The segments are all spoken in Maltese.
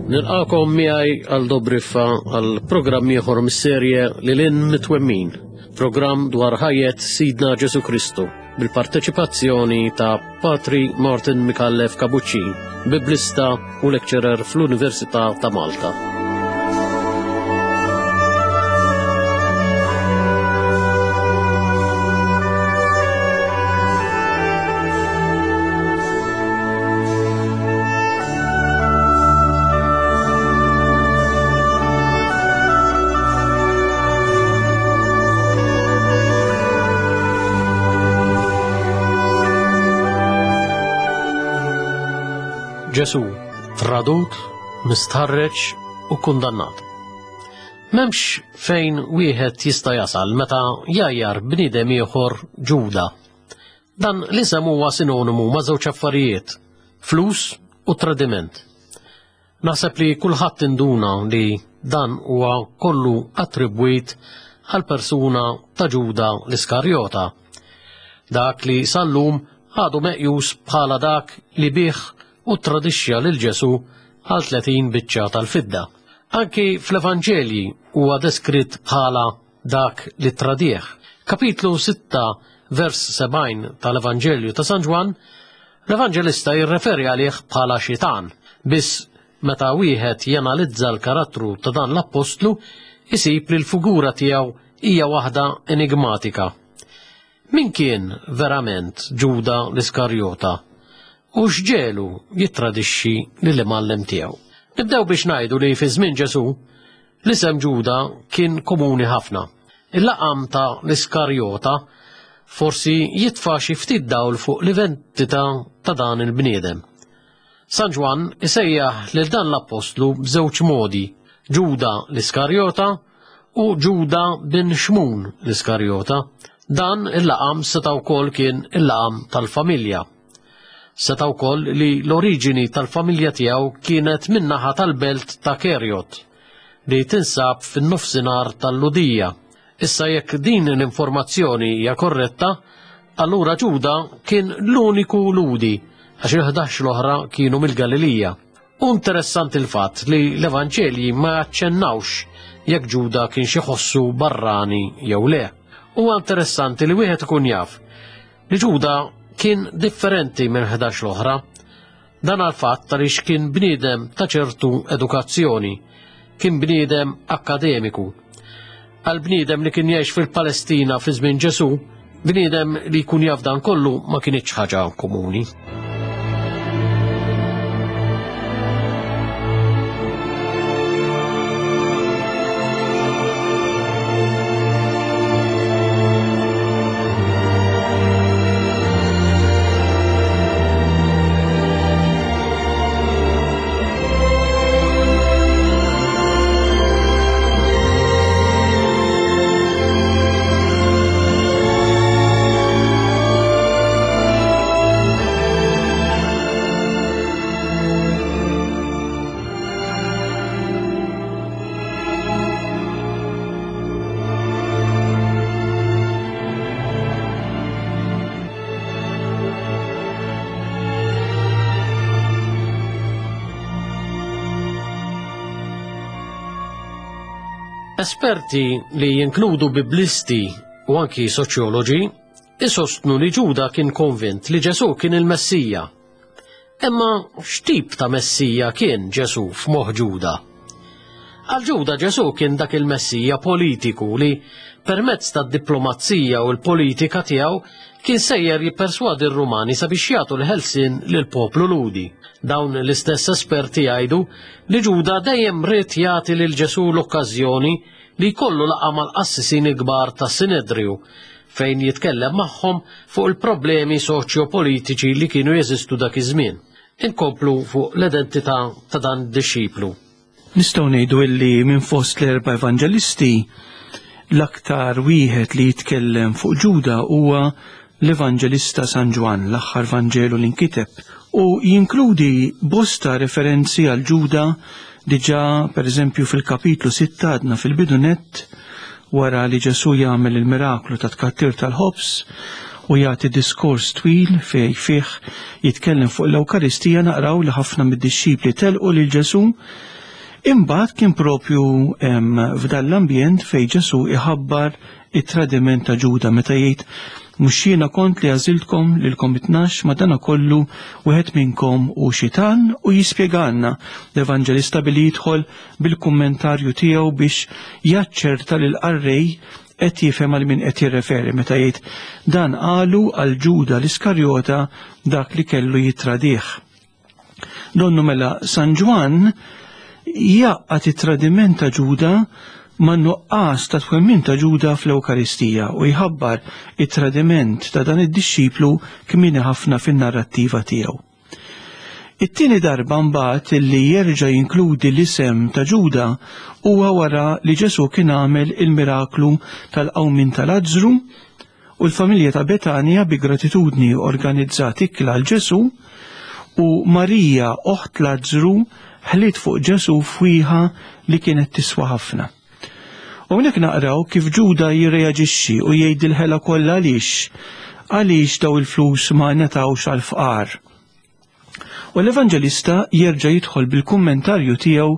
Nilqakom miegħi għal Dobriffa għal programm ieħor mis-serje Lil Hinn Mitwemmin, programm dwar ħajjet Sidna Ġesu Kristu bil-parteċipazzjoni ta' Patri Martin Micallef Capuccin, biblista u lecturer fl-Università ta' Malta. Ġesu, tradut, mistħarreġ u kundannat. Memx fejn wieħed jista' jasal meta jajjar bniedem ieħor Ġuda. Dan l-isem huwa sinonimu ma' żewġ affarijiet, flus u tradiment. Naħseb li kulħadd induna li dan huwa kollu attribwit għal persuna ta' Ġuda l-Iskarjota. Dak li sal-lum għadu meqjus bħala dak li bih u tradixxa lil Ġesu għal 30 biċċa tal-fidda. Anki fl-Evanġelji huwa deskritt bħala dak li tradieh. Kapitlu 6 vers 70 tal-Evanġelju ta' San Ġwann, l-Evanġelista jirreferi għalih bħala xitan, biss meta wieħed janalizza l-karattru ta' dan l-appostlu, isib li l-figura tiegħu hija waħda enigmatika. Min kien verament Ġuda l-Iskarjota u x'ġelu jittradixxi lill-imgħallem tiegħu? Nibdew biex ngħidu li fi żmien Ġesù l-isem Ġuda kien komuni ħafna. Il-laqam ta' l-Iskarjota forsi jitfa' xi ftit dawl fuq l-identità ta' dan il-bniedem. San Ġwann isejjaħ lil dan l-appostlu b'żewġ modi, Ġuda l-Iskarjota u Ġuda bin Xmun l-Iskarjota. Dan il-laqam seta' wkoll kien il-laqam tal-familja. Seta' wkoll li l-oriġini tal-familja tiegħu kienet min-naħa tal-belt ta' Kerjot, li tinsab fin-nofsinhar tal-Lhudija. Issa jekk din l-informazzjoni hija korretta, allura Ġuda kien l-uniku Lhudi għax il-ħdax l-oħra kienu mill-Galilija. U interessanti l-fatt li l-Evanġelji ma jaċċennawx jekk Ġuda kien xi ħossu barrani jew le. Huwa interessanti li wieħed ikun jaf li Ġuda kien differenti minn 11 l-oħra. Dan għal fatt għaliex kien bniedem ta' ċertu edukazzjoni, kien bniedem akkademiku. Għal bniedem li kien jgħix fil-Palestina fi żmien Ġesù, bniedem li jkun jaf dan kollu ma kinitx ħaġa komuni. Esperti li jinkludu biblisti u anki soċjoloġi isostnu li Ġuda kien konvint li Ġesù kien il-Messija. Imma x'tip ta' Messija kien Ġesù f'moħħ Ġuda? Għal Ġuda Ġesù kien dak il-Messija politiku li permezz tad-diplomazija u l-politika tiegħu kien sejjer jipperswadi r-Rumani sabiex jagħtu l-ħelsien lill-poplu Lhudi. Dawn l-istess esperti jgħidu li Ġuda dejjem ried jagħti lil Ġesù l-okkażjoni li jkollu laqgħa mal-qassisin il-kbar tas-Sinedriju fejn jitkellem magħhom fuq il-problemi soċjo-politiċi li kienu jeżistu dak iż-żmien. Inkomplu fuq l-identità ta' dan id-dixxiplu. Nistgħu ngħidu illi minn fost l-erba' evanġelisti l-aktar wieħed li jitkellem fuq Ġuda huwa l-Evanġelista San Ġwann, l-aħħar Vanġelu li nkiteb, u jinkludi bosta referenzi għal Ġuda diġà pereżempju fil-kapitlu 6 għadna fil-bidu nett wara li Ġesù jagħmel il-miraklu ta' tkattir tal-ħobż u jagħti diskors twil fej fih jitkellem fuq l-Ewkaristija naqraw li ħafna mid-dixxipli telqu lil Ġesù. Imbagħad kien propju f'dan l-ambjent fejn Ġesù iħabbar it-tradiment ta' Ġuda meta jgħid mhux jiena kont li għażiltkom lilkom it-tnax madanakollu wieħed minnkom hu xitan u jispjegalna l-Evanġelista billi jidħol bil-kummentarju tiegħu biex jaċċerta li l-qarrej qed jifhem għal min qed jirreferi meta jgħid dan qalu għal Ġuda l-Iskarjota dak li kellu jittradih. Donnu mela San Ġwann jgħaqqad it-tradiment ta' Ġuda ma' nuqqas ta' twemmin ta' Ġuda fl-Ewkaristija u jħabbar it-tradiment ta' dan id-dixxiplu kmieni ħafna fin-narrattiva tiegħu. It-tieni darba mbagħad li jerġa' jinkludi l-isem ta' Ġuda huwa wara li Ġesù kien għamel il-miraklu tal-qawmien ta' Lazzru u l-familja ta' Betanja bi gratitudni organizzat ikla għal Ġesù u Marija oħt Lazzru ħliet fuq Ġesù fwieħa li kienet tiswa ħafna. U hawnhekk naqraw kif Ġuda jirreaġixxi u jgħid il-ħela kollha għaliex għaliex daw il-flus ma ngħatawx għall-fqar. U l-Evanġelista jerġa' jidħol bil-kummentarju tiegħu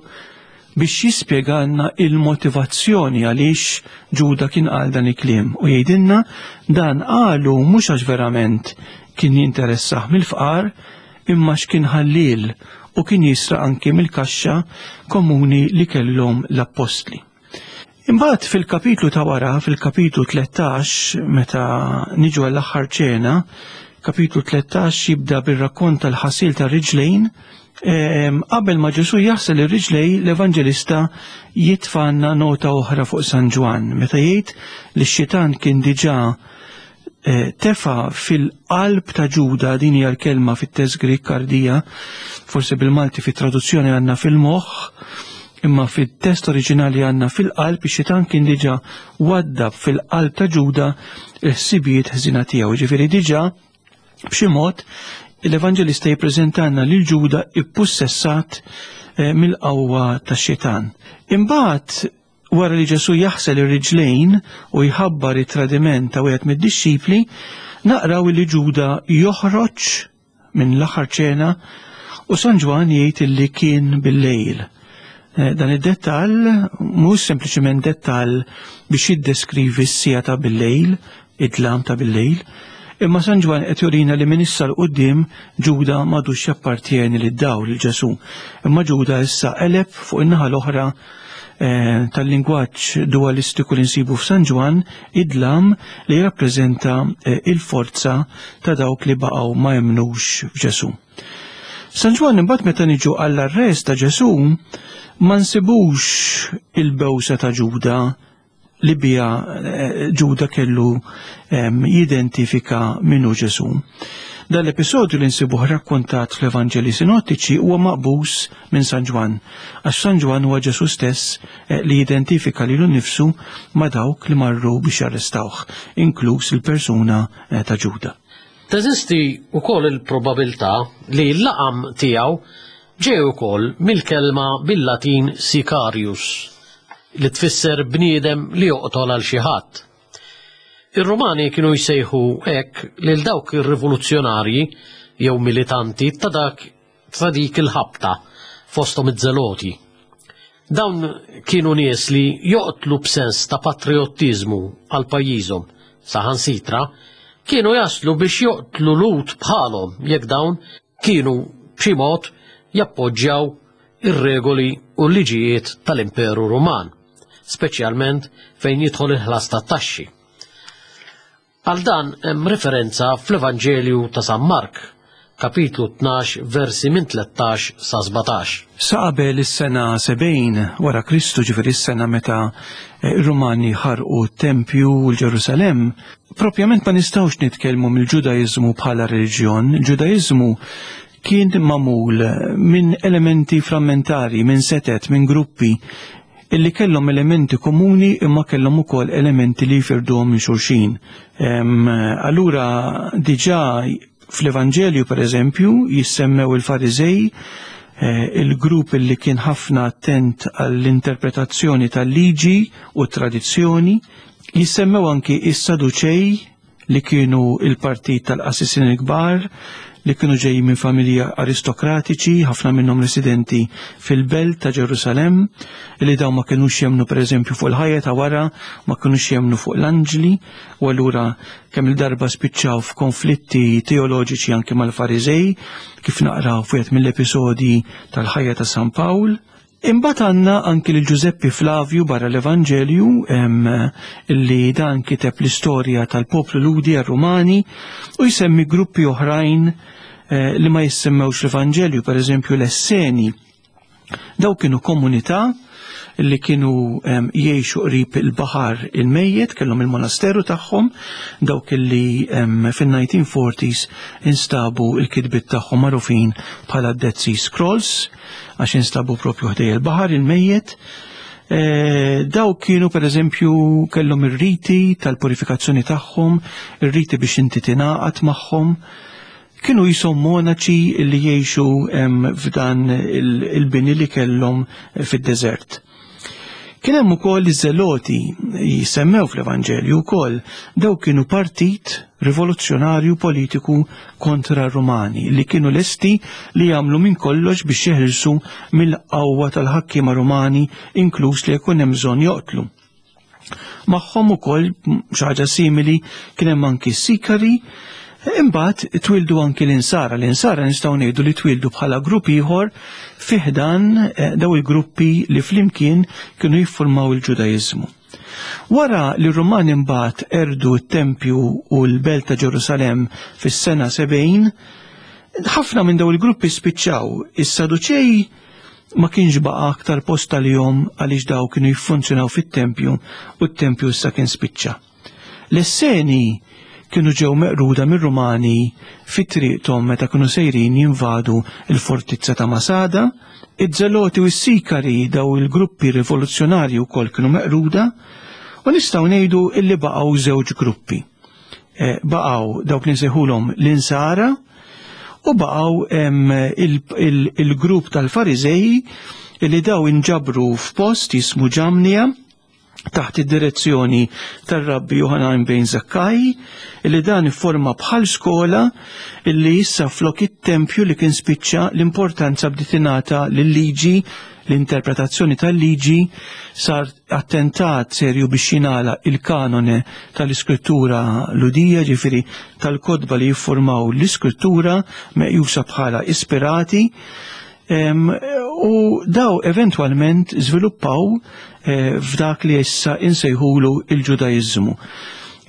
biex jispjegalna il-motivazzjoni għaliex Ġuda kien qal dan il-kliem u jgħidilna dan qalu mhux għax verament kien jinteressah mill-fqar imma x'kien ħalliel u kien jisraq anki mill-kaxxa komuni li kellhom l-appostli. Imbagħad fil-kapitlu ta' wara, fil-kapitlu 13, meta niġu għall-aħħar ċena, kapitlu 13 jibda bir-rakkont tal-ħasil tar-riġlejn, qabel ma Ġesù jaħsel ir-riġlej, l-Evanġelista jitfanna nota oħra fuq San Ġwann, meta jgħid li x-xitan kien diġà eh, tefa fil-qalb ta' Ġuda, din hija l-kelma fit-test Grik kardija, forsi bil-Malti fit-traduzzjoni għandna fil-moħħ, imma fit-test oriġinali għandna fil-qalb, ix-xitan kien diġà waddab fil-qalb ta' Ġuda l-ħsibijiet ħżina tiegħu. Ġifieri diġà b'xi mod l-Evanġelista jippreżentanna lil Ġuda ippussessat eh, mill-qawwa tax-xitan. Imbagħad Wara li Ġesù jaħsel ir-riġlejn u jħabbar it-tradiment ta' wieħed mid-dixxipli, naqraw li Ġuda joħroġ minn l-aħħar ċena u San Ġwann jgħid illi kien bil-lejl. Eh, dan id-dettall mhux sempliċement dettall biex jiddeskrivi s-sija ta' bil-lejl, id-dlam ta' bil-lejl, imma San Ġwann qed jurina li minn issa 'l quddiem Ġuda m'għadux jappartjeni lid-dawl lil Ġesù, imma Ġuda issa qeleb fuq in-naħa l-oħra eh, tal-lingwaġġ dualistiku li nsibu f'San Ġwann, id-dlam li jirrappreżenta eh, il-forza ta' dawk li baqgħu ma jemmnux f'Ġesù. San Ġwann imbagħad meta niġu għall-arrest ta' Ġesù ma nsibux il-bewsa ta' Ġuda li biha eh, Ġuda kellu jidentifika minnu Ġesù. Dan l-episodju li nsibuh rakkontat fl-Evanġeli Sinottiċi huwa maqbus minn San Ġwann, għax San Ġwann huwa Ġesù stess eh, li jidentifika lilu nnifsu ma' dawk li marru biex jarrestawh, inkluż il-persuna eh, ta' Ġuda. Teżisti wkoll il-probabilità li l-laqam tiegħu ġej ukoll mill-kelma bil-Latin sicarius, li tfisser bniedem li joqtol għal xi ħadd. Ir-Rumani kienu jsejħu hekk lil dawk ir-rivoluzzjonarji jew militanti ta' dak ta' dik il-ħabta fosthom iż-Żeloti. Dawn kienu nies li joqtlu b'sens ta' patrijottiżmu għal pajjiżhom, saħansitra kienu jaslu biex joqtlu Lhud bħalhom jekk dawn kienu b'xi mod jappoġġjaw ir-regoli u l-liġijiet tal-Imperu Ruman, speċjalment fejn jidħol il-ħlas tat-taxxi. Għal dan hemm referenza fl-Evanġelju ta' San Mark, kapitlu 12 versi minn 13 sa 17. Sa qabel is-sena 70 wara Kristu, ġifieri s-sena meta r-Rumani ħarqu t-tempju u l-Ġerusalemm, propjament ma nistgħux nitkellmu mill-Ġudaiżmu bħala reliġjon. Il-Ġudaiżmu kien magħmul minn elementi frammentari, minn setet, minn gruppi illi kellhom elementi komuni imma kellhom ukoll elementi li jfirduhom minn xulxin. Allura diġà fl-Evanġelju pereżempju jissemmew il-Fariżej, eh, il-grupp illi kien ħafna attent għall-interpretazzjoni tal-liġi u tradizzjoni, jissemmew anki is-Saduċej. li kienu il-partit tal-qassisin il-kbar, li kienu ġejjin minn familji aristokratiċi, ħafna minnhom residenti fil-belt ta' Ġerusalemm, li dawn ma kinux jemmnu pereżempju fuq il-ħajja ta' wara, ma kinux jemmnu fuq l-anġli, u allura kemm il-darba spiċċaw f'konflitti teoloġiċi anke mal-Fariżej, kif naqraw f'wieħed mill-episodji tal-ħajja ta' San Pawl. Imbagħad għandna anki lil Ġużeppi Flavju barra l-Evanġelju illi dan kiteb l-istorja tal-poplu Lhudi għar-Rumani u jsemmi gruppi oħrajn eh, li ma jissemmewx l-Evanġelju, pereżempju l-Esseni. Daw kienu komunità li kienu jgħixu qrib il-baħar il-mejjet, kellhom il-monasteru tagħhom, dawk li fin-1940s instabu il-kitbiet tagħhom magħrufin bħala Dead Sea Scrolls, għax instabu propju ħdej il-baħar il-mejjet. E, daw kienu per eżempju kellhom ir-riti tal-purifikazzjoni tagħhom, ir-riti biex inti tingħaqad magħhom. Kienu jisom monaċi li jgħixu f'dan il-bini li kellhom fid-deżert. Kien hemm ukoll iż-Żeloti jisemmew fl-Evanġelju wkoll daw kienu partit rivoluzzjonarju politiku kontra r-Rumani li kienu lesti li jagħmlu minn kollox biex jeħilsu mill-qawwa tal-ħakkiema Rumani inkluż li jkun hemm bżonn joqtlu. Magħhom ukoll xi ħaġa simili kien hemm anki s-Sikari, imbagħad twildu anki l-insara. L-insara nistgħu ngħidu li twildu bħala grupp ieħor fi ħdan eh, daw il-gruppi li flimkien kienu jiffurmaw il-Ġudaiżmu. Wara li r-Rumani mbagħad erdu t-tempju u l-belt ta' Ġerusalemm fis-sena 70, ħafna minn daw il-gruppi spiċċaw. Is-Saduċej Ma kienx baqa' aktar post għalihom għaliex daw kienu jiffunzjonaw fit-tempju u t-tempju issa kien spiċċa. L-Esseni kienu ġew meqruda mir-Rumani fi triqthom meta kienu sejrin jinvadu l-fortizza ta' Masada. Iż-Żeloti u s-Sikari daw il-gruppi rivoluzzjonarji wkoll kienu meqruda u nistgħu ngħidu illi baqgħu żewġ gruppi. Eh, baqgħu dawk li nsejħulhom l-insara u baqgħu il-grupp tal-Fariżej li daw inġabru f'post jismu Ġamnija taħt id-direzzjoni tar-Rabbi Johanan bejn Zakkaj li dan ifforma bħal skola li issa flok it-tempju li kien spiċċa l-importanza bdiet tingħata lil-liġi l-interpretazzjoni tal-liġi sar attentat serju biex jingħalaq il-kanone tal-iskrittura Lhudija, ġifieri tal-kotba li jiffurmaw l-iskrittura meqjusa bħala ispirati, u daw eventwalment żviluppaw eh, f'dak li issa insejħulu il-Ġudaiżmu.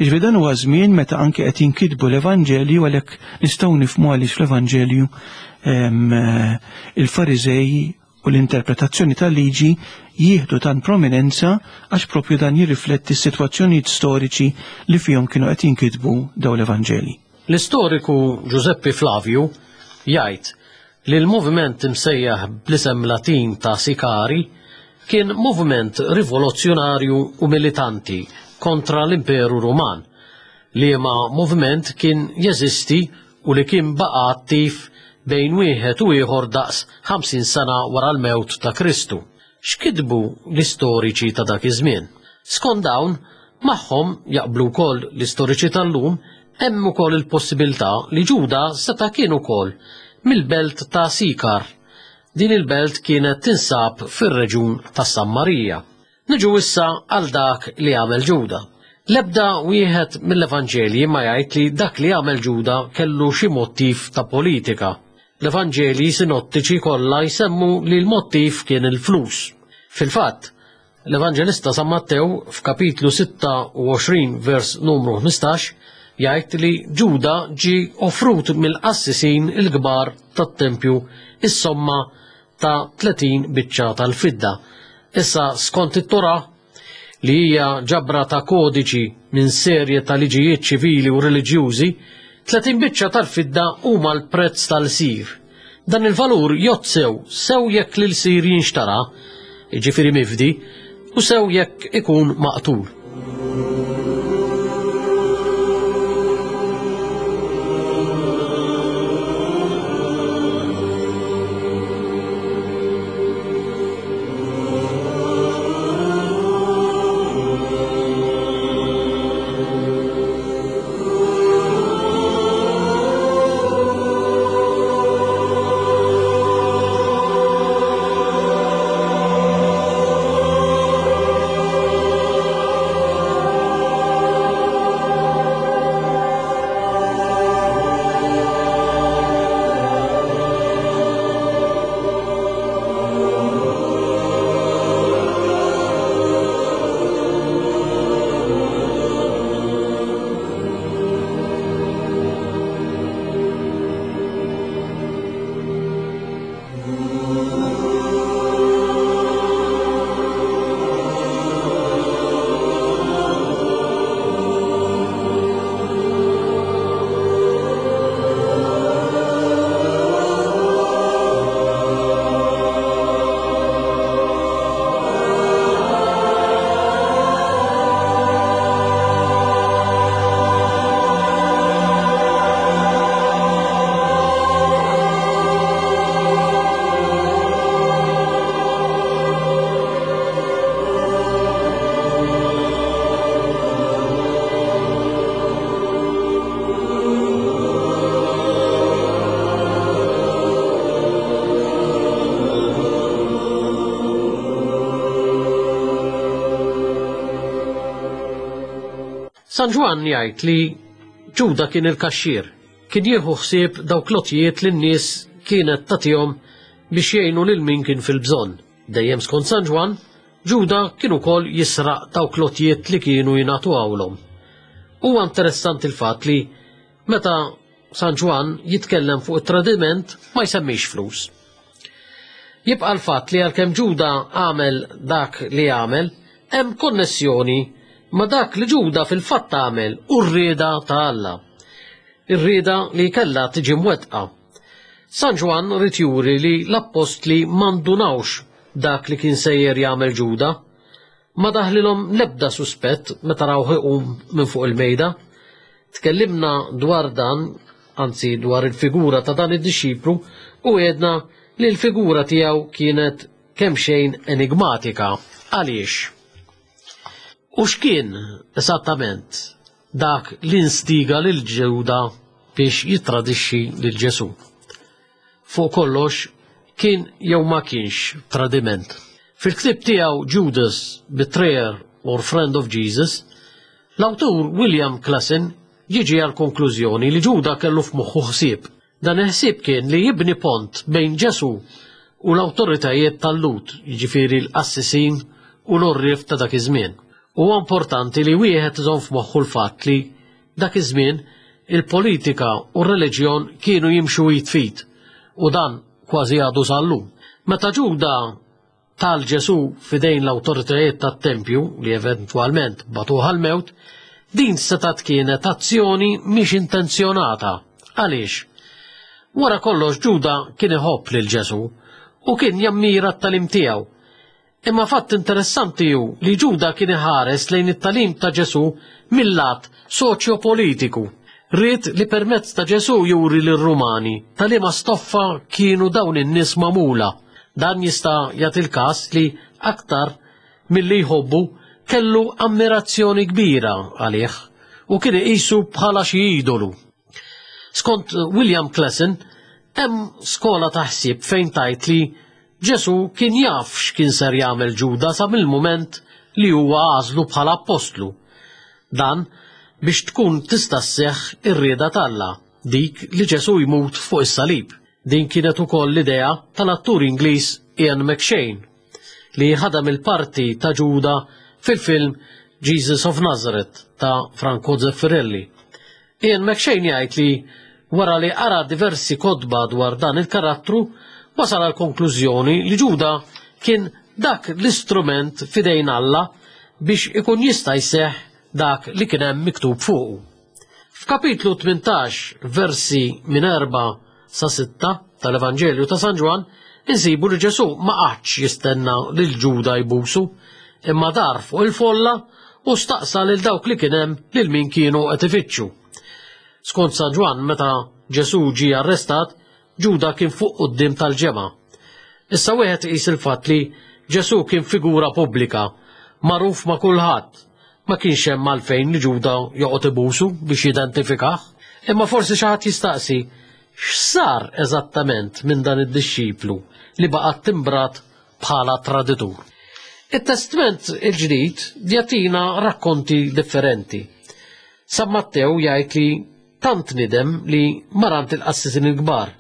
Iġvi dan huwa żmien meta anke qed jinkitbu l-Evanġelju għalhekk nistgħu nifhmu għaliex fl-Evanġelju eh, il-Fariżej u l-interpretazzjoni tal-liġi jieħdu tant prominenza għax propju dan jirrifletti s-sitwazzjonijiet storiċi li fihom kienu qed jinkitbu dawn l-Evanġeli. L-istoriku Ġużeppi Flavju jgħid li l-moviment imsejjaħ bl-isem Latin ta' Sikari kien moviment rivoluzzjonarju u militanti kontra l-Imperu Ruman, liema moviment kien jeżisti u li kien baqa' attiv bejn wieħed u ieħor daqs 50 sena wara l-mewt ta' Kristu. X'kitbu l-istoriċi ta' dak iż-żmien? Skont dawn, magħhom jaqblu wkoll l-istoriċi tal-lum, hemm ukoll il-possibilità li Ġuda seta' kien ukoll mill-belt ta' Sikar. Din il-belt kienet tinsab fir-reġun tas-Sammarija. Niġu issa għal dak li għamel Ġuda. L-ebda wieħed mill-Evanġelji ma jgħid li dak li għamel Ġuda kellu xi mottiv ta' politika. L-Evanġelji sinottiċi kollha jsemmu li l-mottiv kien il-flus. Fil-fatt, l-Evanġelista San Mattew f'kapitlu 26 vers numru 15 jgħid li Ġuda ġie offrut mill-qassisin il-kbar tat-tempju is-somma ta' 30 biċċa tal-fidda. Issa skont it-Torah, li hija ġabra ta' kodiċi minn serje ta' liġijiet ċivili u reliġjużi, 30 biċċa tal-fidda huma l-prezz tal-sir. Dan il-valur jgħodd sew sew jekk l-ilsir jinxtara, jiġifieri mifdi, u sew jekk ikun maqtul. San Ġwann jgħid li Ġuda kien il-kaxxier, kien jieħu ħsieb dawk l-għotjiet li n-nies kienet tagħtihom biex jgħinu lil min kien fil-bżonn. Dejjem skont San Ġwann, Ġuda kien ukoll jisraq dawk l-għotjiet li kienu jingħatuhawlhom. Huwa interessanti l-fatt li meta San Ġwann jitkellem fuq it-tradiment ma jsemmix flus. Jibqa' l-fatt li għalkemm Ġuda għamel dak li għamel, hemm konnessjoni ma' dak li Ġuda fil-fatt għamel u r-rieda ta' Alla. Ir-rieda li kellha tiġi mwettqa. San Ġwann ried juri li l-appostli ma ndunawx dak li kien sejjer jagħmel Ġuda. Ma daħlilhom l-ebda suspett meta rawh iqum minn fuq il-mejda. Tkellimna dwar dan, anzi dwar il-figura ta' dan id-dixxiplu u għedna li l-figura tiegħu kienet kemxejn enigmatika. Għaliex? U x'kien esattament dak li nstiga lil Ġuda biex jittradixxi lil Ġesù? Fuq kollox, kien jew ma kienx tradiment. Fil-ktieb tiegħu Judas, Betrayer or Friend of Jesus, l-awtur William Klassen jiġi għall-konklużjoni li Ġuda kellu f'moħħu ħsieb. Dan il-ħsieb kien li jibni pont bejn Ġesù u l-awtoritajiet tal-Lhud, jiġifieri l-qassisin u l-għorrief ta' dak iż-żmien. Huwa importanti li wieħed iżomm f'moħħu l-fatt li Dak iż-żmien, il-politika u r-reliġjon kienu jimxu id f'id, u dan kważi għadu sal-lum. Meta Ġuda ta 'l Ġesù f'idejn l-awtoritajiet tat-tempju, li eventwalment bagħtuh għall-mewt, din setgħet kienet azzjoni mhix intenzjonata. Għaliex? Wara kollox Ġuda kien iħobb lil Ġesù u kien jammira t-tagħlim tiegħu. Imma fatt interessanti hu li Ġuda kien iħares lejn it-tagħlim ta' Ġesù mil-lat soċjopolitiku. Ried li permezz ta' Ġesù juri lir-Rumani ta' liema stoffa kienu dawn in-nies magħmula. Dan jista' jagħti l-każ li aktar milli jħobbu kellu ammirazzjoni kbira għalih u kien iqisu bħala xi idolu. Skont William Klassen, hemm skola ta' ħsieb fejn tgħid li Ġesù kien jaf x'kien ser jagħmel Ġuda sa mill-mument li huwa għażlu bħala appostlu. Dan biex tkun tista' sseħħ ir-rieda t'Alla, dik li Ġesù jmut fuq is-salib. Din kienet ukoll l-idea tal-attur Ingliż Ian McShane, li ħadem il-parti ta' Ġuda fil-film Jesus of Nazareth ta' Franco Zeffirelli. Ian McShane jgħid li wara li qara diversi kotba dwar dan il-karattru, wasal għal konklużjoni li Ġuda kien dak l-istrument f'idejn Alla biex ikun jista' jseħħ dak li kien hemm miktub fuqu. F'kapitlu 18, versi minn 4 sa 6 tal-Evanġelju ta' San Ġwann, insibu li Ġesù ma qagħadx jistenna lil Ġuda jbusu, imma dar fuq il-folla u staqsa lil dawk li kien hemm lil min kienu qed ifittxu. Skont San Ġwann, meta Ġesù ġie arrestat, Ġuda kien fuq quddiem tal-ġemgħa. Issa wieħed iqis il-fatt li Ġesù kien figura pubblika, magħruf ma' kulħadd, ma kienx hemm għalfejn li Ġuda joqgħod ibusu biex jidentifikah. Imma forsi xi ħadd jistaqsi, x'sar eżattament minn dan id-dixxiplu li baqa' timbrat bħala traditur? It-Testment il-Ġdid jagħtina rakkonti differenti. San Mattew jgħid li tant nidem li mar għand il-qassisin il-kbar,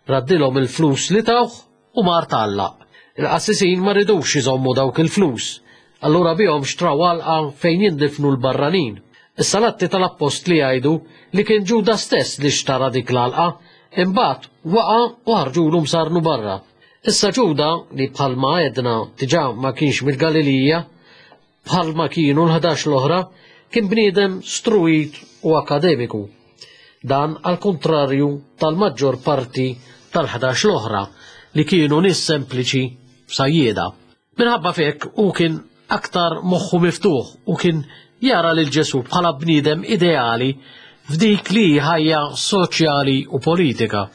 raddilhom il-flus li tawh u mar tgħallaq. Il-qassisin ma ridux iżommu dawk il-flus, allura bihom xtraw għalqa fejn jindifnu l-barranin. Issa l-Atti tal-Appostli jgħidu li kien Ġuda stess li xtara dik l-għalqa, imbagħad waqa' u ħarġulu msarnu barra. Issa Ġuda, li bħalma għedna diġà ma kienx mill-Galilija, bħalma kienu l-11 l-oħra, kien bniedem struit u akademiku. Dan għal kuntrarju tal-maġġor parti tal-11 l-oħra li kienu nies sempliċi sajjieda. Minħabba f'hekk hu kien aktar moħħu miftuħ u kien jara lil Ġesù bħala bniedem ideali f'dik li hi ħajja soċjali u politika.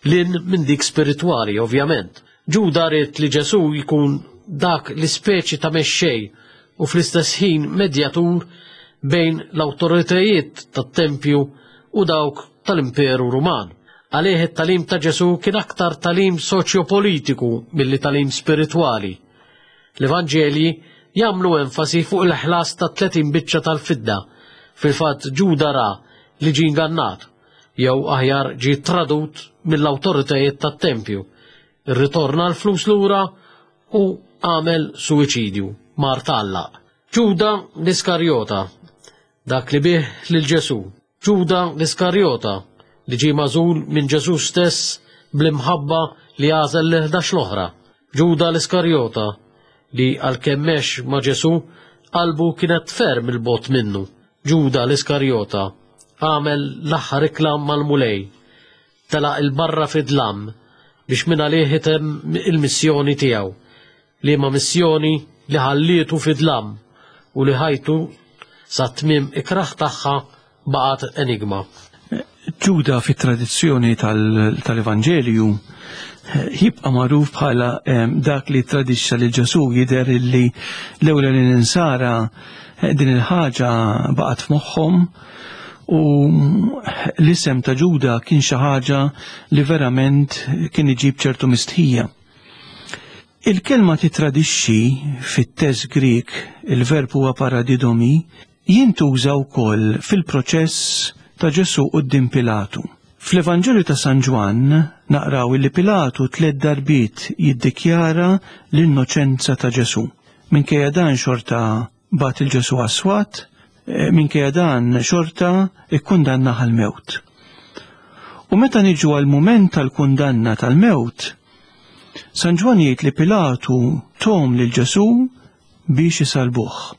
Lin minn dik spiritwali, ovvjament. Ġuda ried li Ġesù jkun dak l-ispeċi ta' mexxej u fl-istess ħin medjatur bejn l-awtoritajiet tat-tempju u dawk tal-Imperu Ruman. Għalih it-tagħlim ta' Ġesù kien aktar tagħlim soċjopolitiku milli tagħlim spiritwali. L-Evanġelji jagħmlu enfasi fuq il-ħlas ta' 30 biċċa tal-fidda. Fil-fatt Ġuda ra li ġie ingannat, jew aħjar ġie tradut mill-awtoritajiet tat-tempju. Irritorna l-flus lura u għamel suwiċidju, mar tgħallaq. Ġuda l-Iskarjota, dak li biegħ lil Ġesù. Ġuda l-Iskarjota, li ġie magħżul minn Ġesù stess bl-imħabba li għażel l-ħdax l-oħra. Ġuda l-Iskarjota, li għalkemm mex ma' Ġesù, qalbu kienet ferm 'il bogħod minnu. Ġuda l-Iskarjota għamel l-aħħar ikla mal-Mulej, telaq 'il barra fid-dlam biex mingħalih itemm il-missjoni tiegħu, liema missjoni li ħallietu fid-dlam u li ħajtu sat-tmiem ikrah tagħha baqgħet enigma. Ġuda fit-tradizzjoni tal-Evanġelju jibqa' magħruf bħala dak li tradixxa lil Ġesù jidher illi l-ewwel l-insara din il-ħaġa baqgħet f'moħħhom u l-isem ta' Ġuda kien xi ħaġa li verament kien iġib ċertu mistħija. Il-kelma titradixxi fit-test Grieg, il-verb huwa paradidomi, jintuża wkoll fil-proċess ta' Ġesù quddiem Pilatu. Fl-Evanġelju ta' San Ġwann naqraw illi Pilatu tliet darbiet jiddikjara l-innoċenza ta' Ġesù. Minkejja dan xorta bagħat il Ġesù għas-swat, minkejja dan xorta ikkundannah għall-mewt. U meta niġu għall-mument tal-kundanna tal-mewt, San Ġwann jgħid li Pilatu tom lil Ġesù biex isalbuh.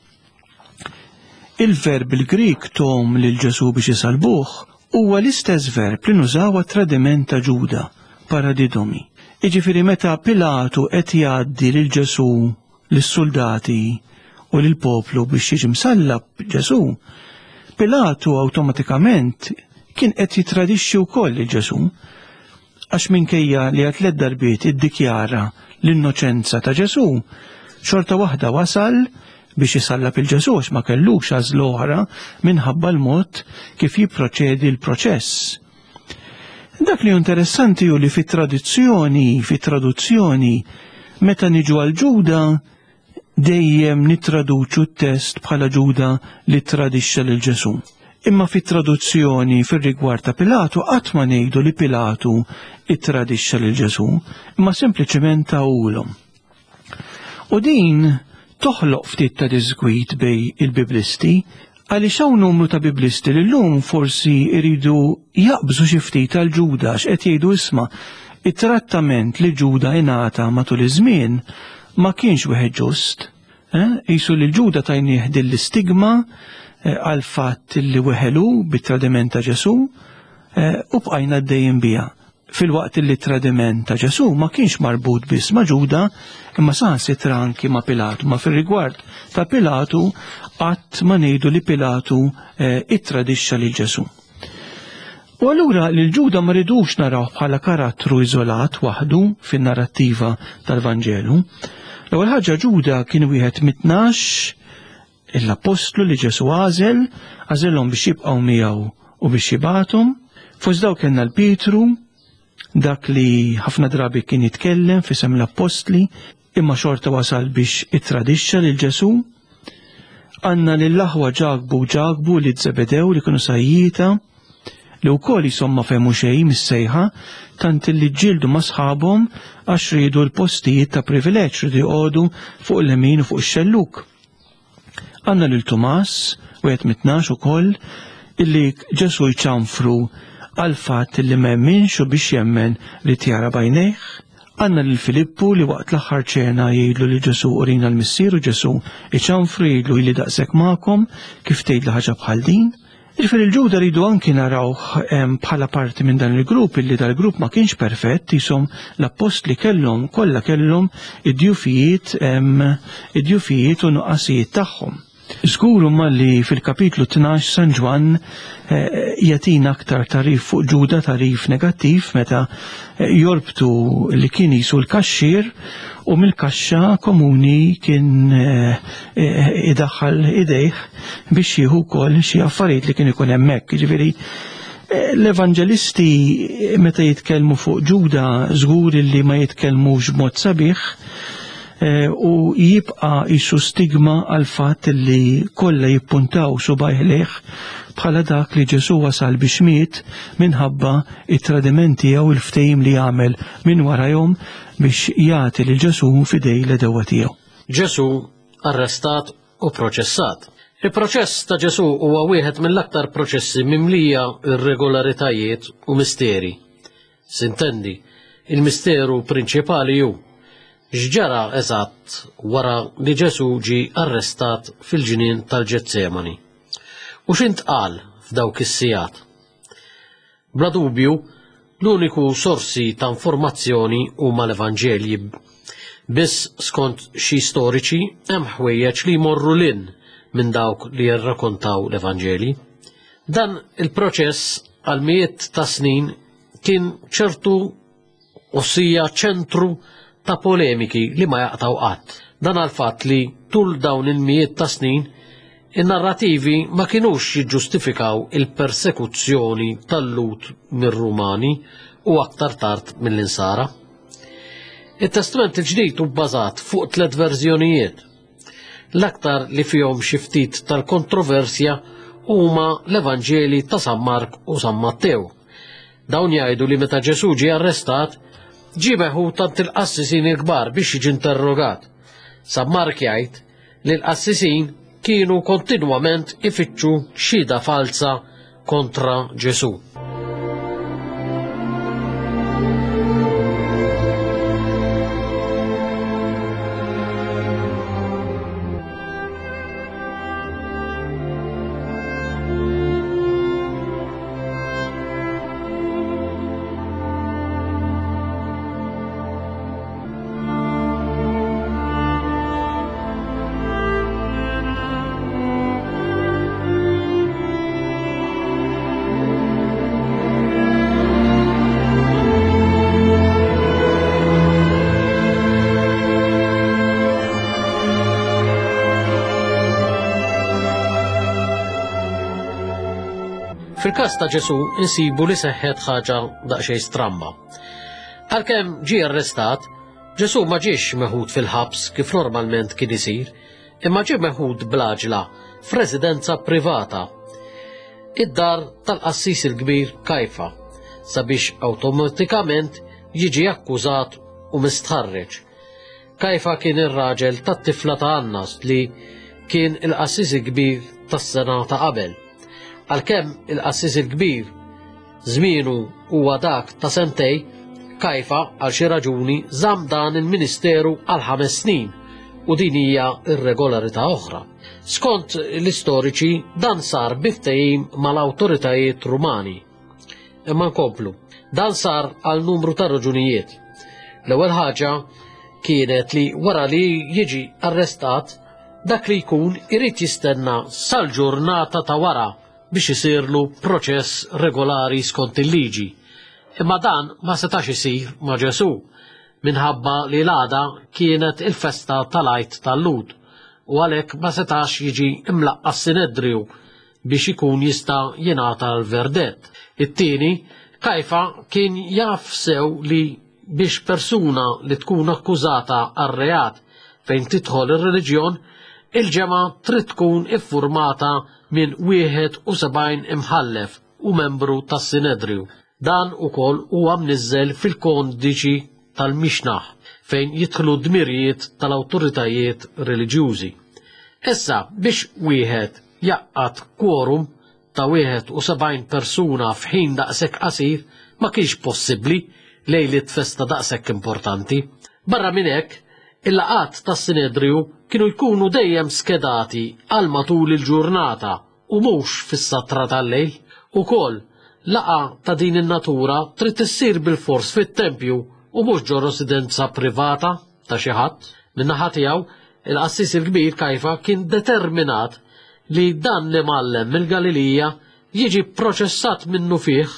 Il-verb il-Grieg tom lil Ġesù biex isalbuh huwa l-istess verb li nużaw għat-tradiment ta' Ġuda, paradidomi. Jiġifieri meta Pilatu qed jgħaddi lil Ġesù lis-suldati u lill-poplu biex jiġi msallab Ġesù, Pilatu awtomatikament kien qed jitradixxi wkoll lil Ġesù. Għax minkejja li għal tliet darbiet iddikjara l-innoċenza ta' Ġesù, xorta waħda wasal biex isallab il Ġesù għax ma kellux għażla oħra minħabba l-mod kif jipproċedi l-proċess. Dak li interessanti hu li fit-tradizzjoni, fit-traduzzjoni, meta niġu għal Ġuda, dejjem nittraduċu t-test bħala Ġuda li tradixxa lil Ġesù. Imma fit-traduzzjoni fir-rigward ta' Pilatu qatt ma ngħidu li Pilatu ittradixxa lil Ġesù, imma sempliċement tawulhom. U din toħloq ftit ta' diżgwid bej il-Biblisti għaliex hawn numru ta' Biblisti li llum forsi jridu jaqbżu xi ftit għal Ġuda x'qed jgħidu isma' it-trattament li Ġuda ingħata matul iż-żmien ma kienx wieħed ġust. Eh? Qisu li Ġuda tajnieh din l-istigma eh, għal fatt li weħelu bit-tradiment ta' Ġesù eh, u bqajna għaddejjin biha. Filwaqt li t-tradiment ta' Ġesù ma kienx marbut biss ma' Ġuda, imma saħansitra anki ma' Pilatu. Ma fir-rigward ta' Pilatu qatt ma ngħidu li Pilatu eh, ittradixxa lil Ġesù. U allura lil Ġuda ma ridux naraw bħala karattru iżolat waħdu fin-narrattiva tal-Vanġelu. L-ewwel ħaġa Ġuda kien wieħed mit-tnax l-appostlu li Ġesù għażel, għażilhom biex jibqgħu miegħu u biex jibgħathom. Fost dawk kellna l-Pietru, dak li ħafna drabi kien jitkellem f'isem l-appostli, imma xorta wasal biex ittradixxa lil Ġesù. Għandna lill-aħwa Ġakbu u Ġakbu li Zebedew li kienu sajjieta, li wkoll jisom ma fehmu xejn mis-sejħa, tant li ġġieldu ma' sħabhom għax riedu l-postijiet ta' privileġġ, riedu joqogħdu fuq il-lemin u fuq ix-xellug. Għandna lil Tumas, wieħed mit-tnax ukoll, illi Ġesù jċanfru għal fatt li ma jemminx u biex jemmen li tjara bajnejh. Għandna lil Filippu li waqt l-aħħar ċena jgħidlu li Ġesù urina l-Missier u Ġesù iċanfru jgħidlu ili daqshekk magħkom kif tgħidli ħaġa bħal din. Jiġifieri l-Ġuda rridu anki narawh bħala parti minn dan il-grupp illi dal-grupp ma kienx perfett, jisom l-appostli kellhom kollha kellhom id-djufijiet id-djufijiet u nuqqasijiet tagħhom. Żgur imma li fil-kapitlu 12 San Ġwann eh, jagħtina aktar tarif fuq Ġuda, tarif negattiv meta eh, jorbtu li kien jisu l-kaxxier u mill-kaxxa komuni kien eh, idaħħal idejh biex jieħu wkoll xi affarijiet li kien ikun hemmhekk. Jiġifieri eh, l-evanġelisti meta jitkellmu fuq Ġuda żgur li ma jitkellmux b'mod sabiħ. Eh, u jibqa' jisu stigma għal fatt li kollha jippuntaw subajh lejh bħala dak li Ġesu wasal biex miet minħabba it-tradiment tiegħu il-ftehim li għamel minn warajhom biex jagħti lil Ġesu f'idej l-għedewwa tiegħu. Ġesu arrestat u proċessat. Il-proċess ta' Ġesu huwa wieħed mill-aktar proċessi mimlija irregolaritajiet u misteri. Sintendi, il-misteru prinċipali hu x'ġara eżatt wara li Ġesù ġie arrestat fil-ġnien tal-Ġetsemani. U x'intqal f'dawk is-sigħat? Bla dubju, l-uniku sorsi ta' informazzjoni huma l-Evanġelji. Biss skont xi storiċi hemm ħwejjeġ li jmorru lin minn dawk li jirrakontaw l-Evanġelji. Dan il-proċess għal mijiet ta' snin kien ċertu ossia ċentru ta' polemiki li ma jaqtaw qatt. Dan għal fatt li tul dawn il-mijiet ta' snin in-narrativi ma kinux jiġġustifikaw il-persekuzzjoni tal-Lut mir-Rumani u aktar tard mill-Insara. Il-Testament il-Ġdid hu bbażat fuq tliet verżjonijiet. L-aktar li fihom xi ftit tal-kontroversja huma l-Evanġeli ta' San Mark u San Mattew. Dawn jgħidu li meta Ġesù ġie arrestat, ġie meħud għand il-qassisin il-kbar biex jiġi interrogat. San Mark jgħid li l-qassisin kienu kontinwament ifittxu xhieda falza kontra Ġesù. Fil-każ ta' Ġesù insibu li seħħet ħaġa daqsxejn stramba. Għalkemm ġie arrestat, Ġesù ma ġiex meħud fil-ħabs kif normalment kien isir, imma ġie meħud bl-għaġla f'residenza privata, id-dar tal-qassis il-kbir Kajfa, sabiex awtomatikament jiġi akkużat u mistħarreġ. Kajfa kien ir-raġel tat-tifla ta' Annas li kien il-qassis il-kbir tas-sena ta' qabel. Għalkemm il-qassis il-kbir żmienu huwa dak ta' sentej, Kajfa għal xi raġuni żamm dan il-ministeru għal ħames snin u din hija irregolarità oħra. Skont l-istoriċi dan sar bi ftehim mal-awtoritajiet Rumani. Imma nkomplu. Dan sar għal numru ta' raġunijiet. L-ewwel ħaġa kienet li wara li jiġi arrestat, dak li jkun irid jistenna sal-ġurnata ta' wara biex isirlu proċess regolari skont il-liġi. Imma dan ma setax isir ma' Ġesù minħabba li l-għada kienet il-festa tal-Għid tal-Lhud u għalhekk ma setax jiġi imlaqqa' s-Sinedriju biex ikun jista' jingħata l-verdett. It-tieni, Kajfa kien jaf sew li biex persuna li tkun akkużata għal reat fejn tidħol ir-reliġjon, il-ġemgħa trid tkun iffurmata minn 71 imħallef u membru tas-Sinedriju. Dan ukoll huwa mniżżel fil-Kodiċi tal-Mishnah fejn jidħlu d-dmirijiet tal-awtoritajiet reliġjużi. Issa biex wieħed jgħaqqad quorum ta' 71 persuna f'ħin daqshekk qasir ma kienx possibbli lejliet festa daqshekk importanti. Barra minn hekk, il-laqgħat tas-Sinedriju kienu jkunu dejjem skedati għal matul il-ġurnata u mhux fis-satra tal-lejl. Ukoll, laqgħa ta' din in-natura trid issir bilfors fit-tempju u mhux ġo residenza privata ta' xi ħadd. Min-naħa tiegħu, il-qassis il-kbir Kajfa kien determinat li dan l-imgħallem mill-Galilija jiġi pproċessat minnufih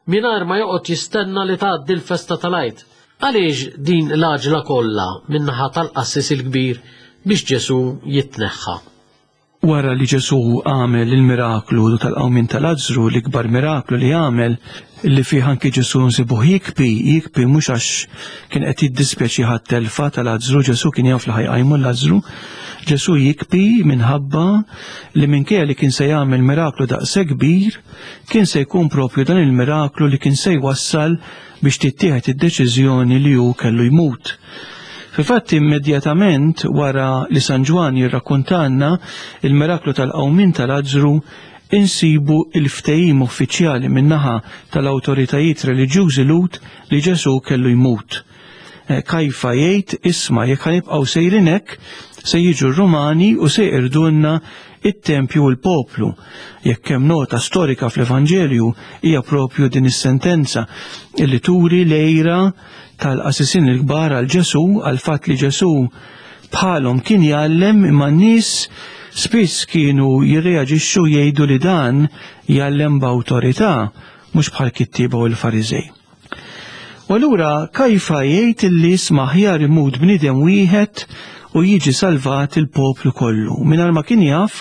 mingħajr ma joqgħod jistenna li tgħaddi l-festa tal-Għid. Għaliex din l-għaġla kollha min-naħa tal-qassis il-kbir biex Ġesù jitneħħa? Wara li Ġesù għamel il-miraklu tal-qawmien ta' Lazzru, l-ikbar miraklu li għamel, li fih anki Ġesù nsibuh jikbi, jikbi mhux għax kien qed jiddispjaċi ħadd telfa ta' Lazzru, Ġesù kien jaf li ħajqajmu Lazzru. Ġesù jikbi minħabba li minkejja li kien se jagħmel miraklu daqshekk kbir, kien se jkun propju dan il-miraklu li kien se jwassal biex tittieħed id-deċiżjoni li hu kellu jmut. Fil-fatt immedjatament wara li San Ġwann jirrakkuntalna il-miraklu tal-qawmien ta' Lazzru, insibu il-ftehim uffiċjali min-naħa tal-awtoritajiet reliġjużi Lhud li Ġesù kellu jmut. Eh, Kajfa jgħid isma' jekk ħanibqgħu sejrin hekk se jiġu r-Rumani u se jqirdulna it-tempju u l-poplu. Jekk hemm nota storika fl-Evanġelju hija propju din is-sentenza illi turi l-għira tal-qasisin il-kbar għal Ġesù għal fatt li Ġesù bħalhom kien jgħallem imma n-nies spiss kienu jirreaġixxu jgħidu li dan jgħallem b'awtorità mhux bħal kittieba u l-Fariżej. U allura Kajfa jgħid illi isma' aħjar imut bniedem wieħed u jiġi salvat il-poplu kollu. Mingħajr ma kien jaf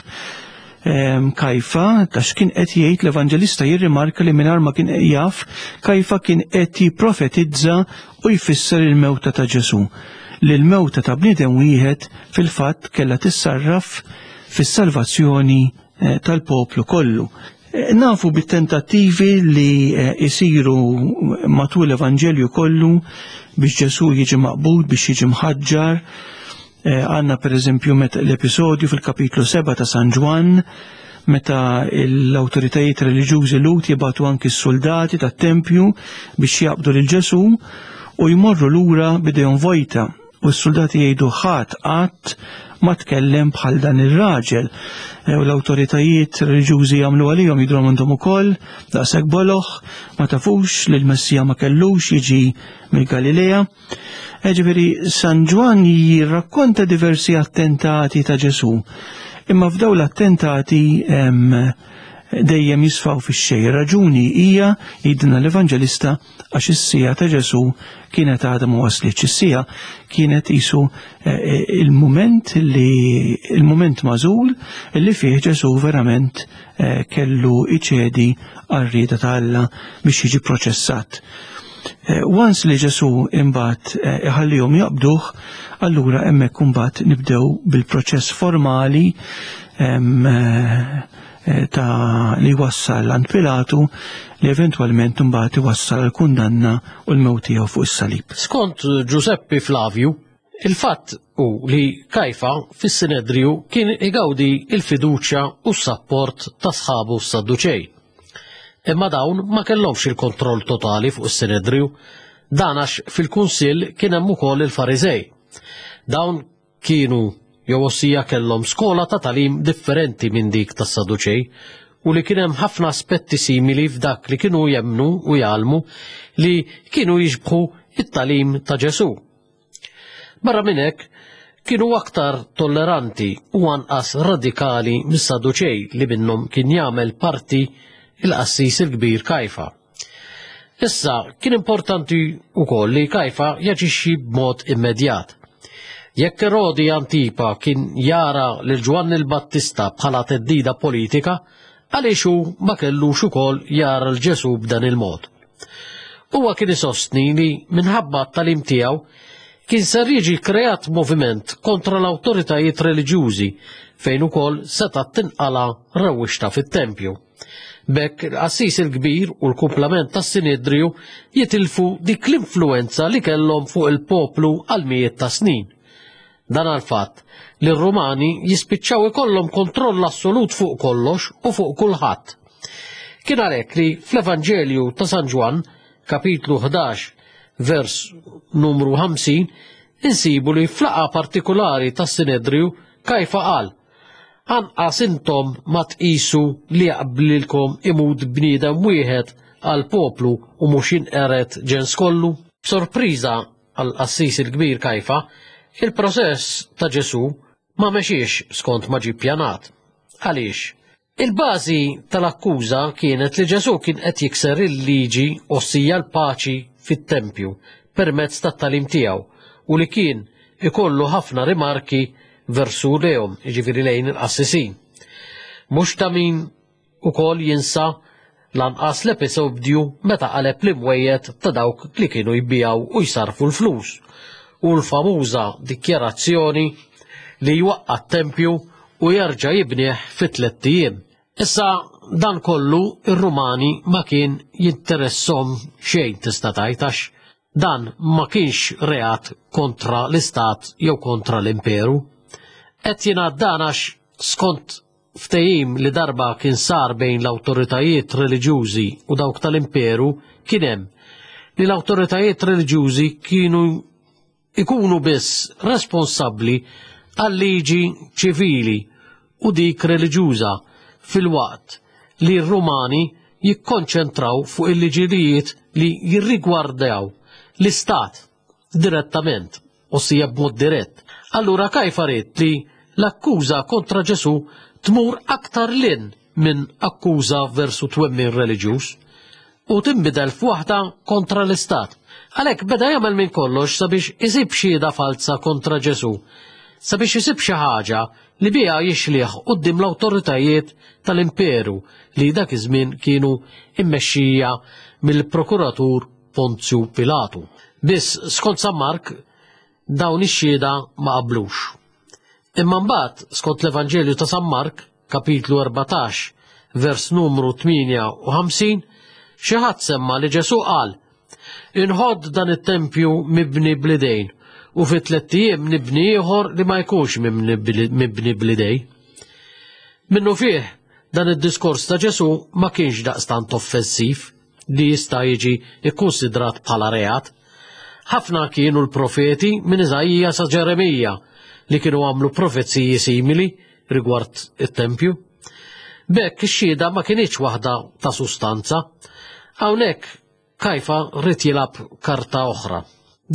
ehm, Kajfa ta' x'kien qed jgħid l-Evanġelista jirrimarka li mingħajr ma kien jaf Kajfa kien qed jipprofetizza u jfisser il-mewta ta' Ġesù. Li l-mewta ta' bniedem wieħed fil-fatt kellha tissarraf fis-salvazzjoni eh, tal-poplu kollu. Eh, nafu bit-tentattivi li jsiru eh, matul l-Evanġelju kollu biex Ġesù jiġi maqbud, biex jiġi mħaġġar. Eh, għanna per eżempju l-episodju fil-kapitlu 7 ta' San Ġwann, meta l-awtoritajiet reliġjużi Lut jibatu anki s-soldati tat-tempju biex jaqbdu lil Ġesù u jmorru lura bidejhom vojta. U s-suldati jgħidu ħadd qatt ma tkellem bħal dan ir-raġel. E, u l-awtoritajiet reliġjużi jagħmlu għalihom jidhru għandhom ukoll daqshekk boloħ, ma tafux li l-Messija ma kellux jiġi mill-Galilea. E, ġifieri San Ġwann jirrakkonta diversi attentati ta' Ġesù. Imma f'daw l-attentati dejjem jisfaw fix-xejn. Raġuni hija jgħidilna l-Evanġelista għax is-siegħa ta' Ġesù kienet għadha ma waslitx. Is-siegħa kienet isu eh, eh, il-mument li il-mument magħżul li fih Ġesù verament eh, kellu iċedi għar-rieda ta' Alla biex jiġi proċessat. Once li Ġesù imbagħad iħallihom jaqbduh, allura hemmhekk imbagħad nibdew bil-proċess formali Eh, ta' li wassal għand Pilatu li eventwalment imbagħad iwassal għal kundanna u l-mewt tiegħu fuq is-salib. Skont Giuseppe Flavju, il-fatt hu li Kajfa fis-Sinedriju kien igawdi il-fiduċja u s-sapport ta' sħabu s-Sadduċej. Imma dawn ma kellhomx il-kontroll totali fuq is-Sinedriju, dan għax fil-kunsill kien hemm ukoll il-Fariżej. Dawn kienu jew ossija kellhom skola ta' tagħlim differenti minn dik tas-Saduċej u li kien hemm ħafna aspetti simili f'dak li kienu jemmnu u jgħallmu li kienu jixbħu it-tagħlim ta' Ġesù. Barra minn hekk, kienu aktar tolleranti u anqas radikali mis-Saduċej li minnhom kien jagħmel parti il-qassis il-kbir Kajfa. Issa, kien importanti wkoll li Kajfa jaġixxi b'mod immedjat. Jekk Erodi Antipa kien jara lil Ġwanni l-Battista bħala teddida politika, għaliex hu ma kellux ukoll jara l Ġesù b'dan il-mod. Huwa kien isostni li minħabba t-talim tiegħu kien ser jiġi kreat moviment kontra l-awtoritajiet reliġjużi fejn ukoll seta' tinqala rewwixta fit-tempju. B'hekk il-qassis il-kbir u l-kumplament tas-Sinedriju jitilfu dik l-influwenza li kellhom fuq il-poplu għal mijiet ta' snin. Dan għall-fatt li r-Rumani jispiċċaw ikollhom kontroll assolut fuq kollox u fuq kulħadd. Kien għalhekk li fl-Evanġelju ta' San Ġwann, kapitlu 11, vers numru 50, insibu li f'laqgħa partikulari tas-Sinedriju Kajfa qal, Anqas intom ma tqisu li jaqblilkom imut bniedem wieħed għall-poplu u mhux jinqered ġens kollu? B'sorpriża għall-qassis il-kbir Kajfa, il-process ta' Ġesù ma mexiex skont ma ġie ppjanat. Għaliex? Il-bażi tal-akkuża kienet li Ġesù kien qed jikser il-liġi ossija l-paċi fit-tempju permezz tat-tagħlim tiegħu u li kien ikollu ħafna rimarki versu lejhom, jiġifieri lejn il-qassisin. Mhux ta' min ukoll jinsa lanqas l-episodju meta qaleb l-imwejjed ta' dawk li kienu jbiegħu u jsarrfu l-flus u l-famuża dikjarazzjoni li jwaqqa' t-tempju u jerġa' jibnih fi tlett ijiem. Issa dan kollu ir-Rumani ma kien jinteresshom xejn tista' tgħid għax dan ma kienx reat kontra l-istat jew kontra l-imperu. Qed jingħad dan għax skont ftehim li darba kien sar bejn l-awtoritajiet reliġjużi u dawk tal-imperu kien hemm li l-awtoritajiet reliġjużi kienu ikunu biss responsabbli għal-liġi ċivili u dik reliġjuża filwaqt li r-Rumani jikkonċentraw fuq il-liġijiet li jirrigwardaw l-istat direttament, ossia b'mod dirett. Allura Kajfa ried li l-akkuża kontra Ġesù tmur aktar lin minn akkuża versu twemmin reliġjuż u tinbidel f'waħda kontra l-istat. Għalhekk beda jagħmel minn kollox sabiex isib xhieda falza kontra Ġesù, sabiex isib xi ħaġa li biha jixlih quddiem l-awtoritajiet tal-imperu li dak iż-żmien kienu immexxija mill-prokuratur Ponzju Pilatu. Biss skont San Mark dawn ix-xhieda ma qablux. Imma mbagħad skont l-Evanġelju ta' San Mark, kapitlu 14, vers numru 58, xi ħadd semma li Ġesù qal, Inħodd dan it-tempju mibni bl-idejn u fi tlett ijiem nibni ieħor li ma jkunx mibni bl-idej. Minnu fih, dan id-diskors ta' Ġesù ma kienx daqstant offensiv li jista' jiġi kkunsidrat bħala reat. Ħafna kienu l-profeti minn Iżaija sa Ġeremija li kienu għamlu profeziji simili rigward it-tempju. B'hekk ix-xhieda ma kinitx waħda ta' sustanza. Hawnhekk Kajfa ried jilgħab karta oħra.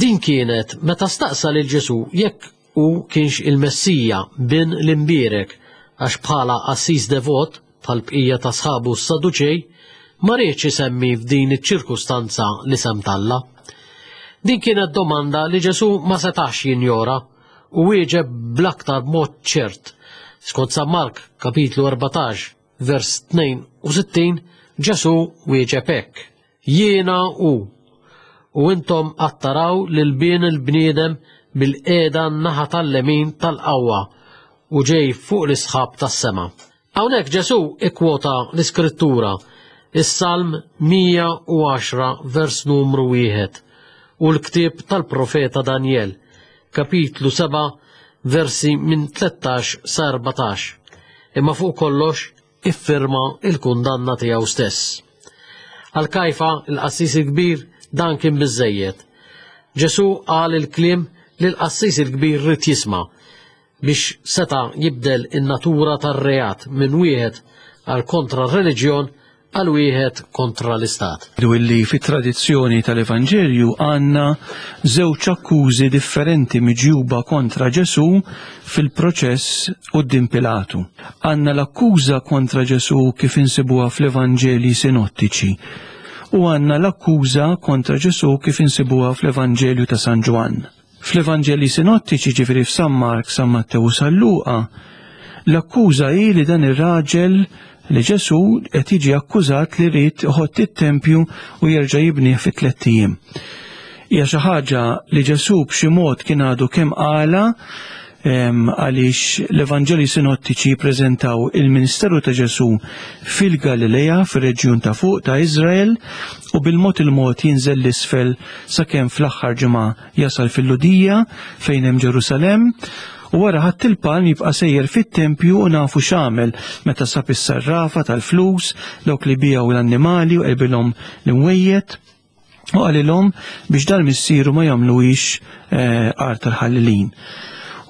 Din kienet meta staqsa lil Ġesù jekk hu kienx il-Messija, bin l-Imbierek, għax bħala qassis devot, bħall-bqija ta' sħabu s-Saduċej, ma riedx isemmi f'din iċ-ċirkustanza l-isem t'Alla. Din kienet domanda li Ġesù ma setax jinjora u wieġeb bl-aktar mod ċert. Skont San Mark, kapitlu 14, vers 62, Ġesù wieġeb hekk, Jiena hu, u intom għad taraw lil Bin il-bniedem bil-qiegħda n-naħa tal-lemin tal-qawwa u ġej fuq l-isħab tas-sema. Hawnhekk Ġesù ikkwota l-Iskrittura, is-Salm 110 vers numru 1 u l-ktieb tal-profeta Danjel, kapitlu 7 versi minn 13 sa 14. Imma fuq kollox iffirma il-kundanna tiegħu stess. Għal Kajfa, il-qassis il-kbir, dan kien biżżejjed. Ġesù qal il-kliem li l-qassis il-kbir ried jisma' biex seta' jibdel in-natura tar-reat minn wieħed għal kontra r-reliġjon għal wieħed kontra l-Istat. Illi fit-tradizzjoni tal-Evanġelju għandna żewġ akkużi differenti miġjuba kontra Ġesù fil-proċess quddiem Pilatu. Għandna l-akkuża kontra Ġesù kif insibuha fl-Evanġelji sinottiċi u għandna l-akkuża kontra Ġesù kif insibuha fl-Evanġelju ta' San Ġwann. Fl-Evanġelji sinottiċi, ġifieri f'San Mark, San Mattew u San Luqa, l-akkuża hi li dan ir-raġel li Ġesù qed jiġi akkużat li ried iħott it-tempju u jerġa' jibnih fi tlett ijiem. Hija xi ħaġa li Ġesù b'xi mod kien għadu kemm qala għaliex l-Evanġelji sinottiċi jippreżentaw il-ministeru ta' Ġesù fil-Galilea, fir-reġjun ta' fuq ta' Iżrael, u bil-mod il-mod jinżel l-isfel sakemm fl-aħħar ġimgħa jasal fil-Lhudija fejn hemm Ġerusalemm, u wara Ħadd il-Palm jibqa' sejjer fit-tempju u nafu x'għamel meta sab is-sarrafa tal-flus, dawk li biegħu l-annimali u qelbilhom l-imwejjed, u qalilhom biex dal-missieru ma jagħmluhiex eh, art tal-ħallelin.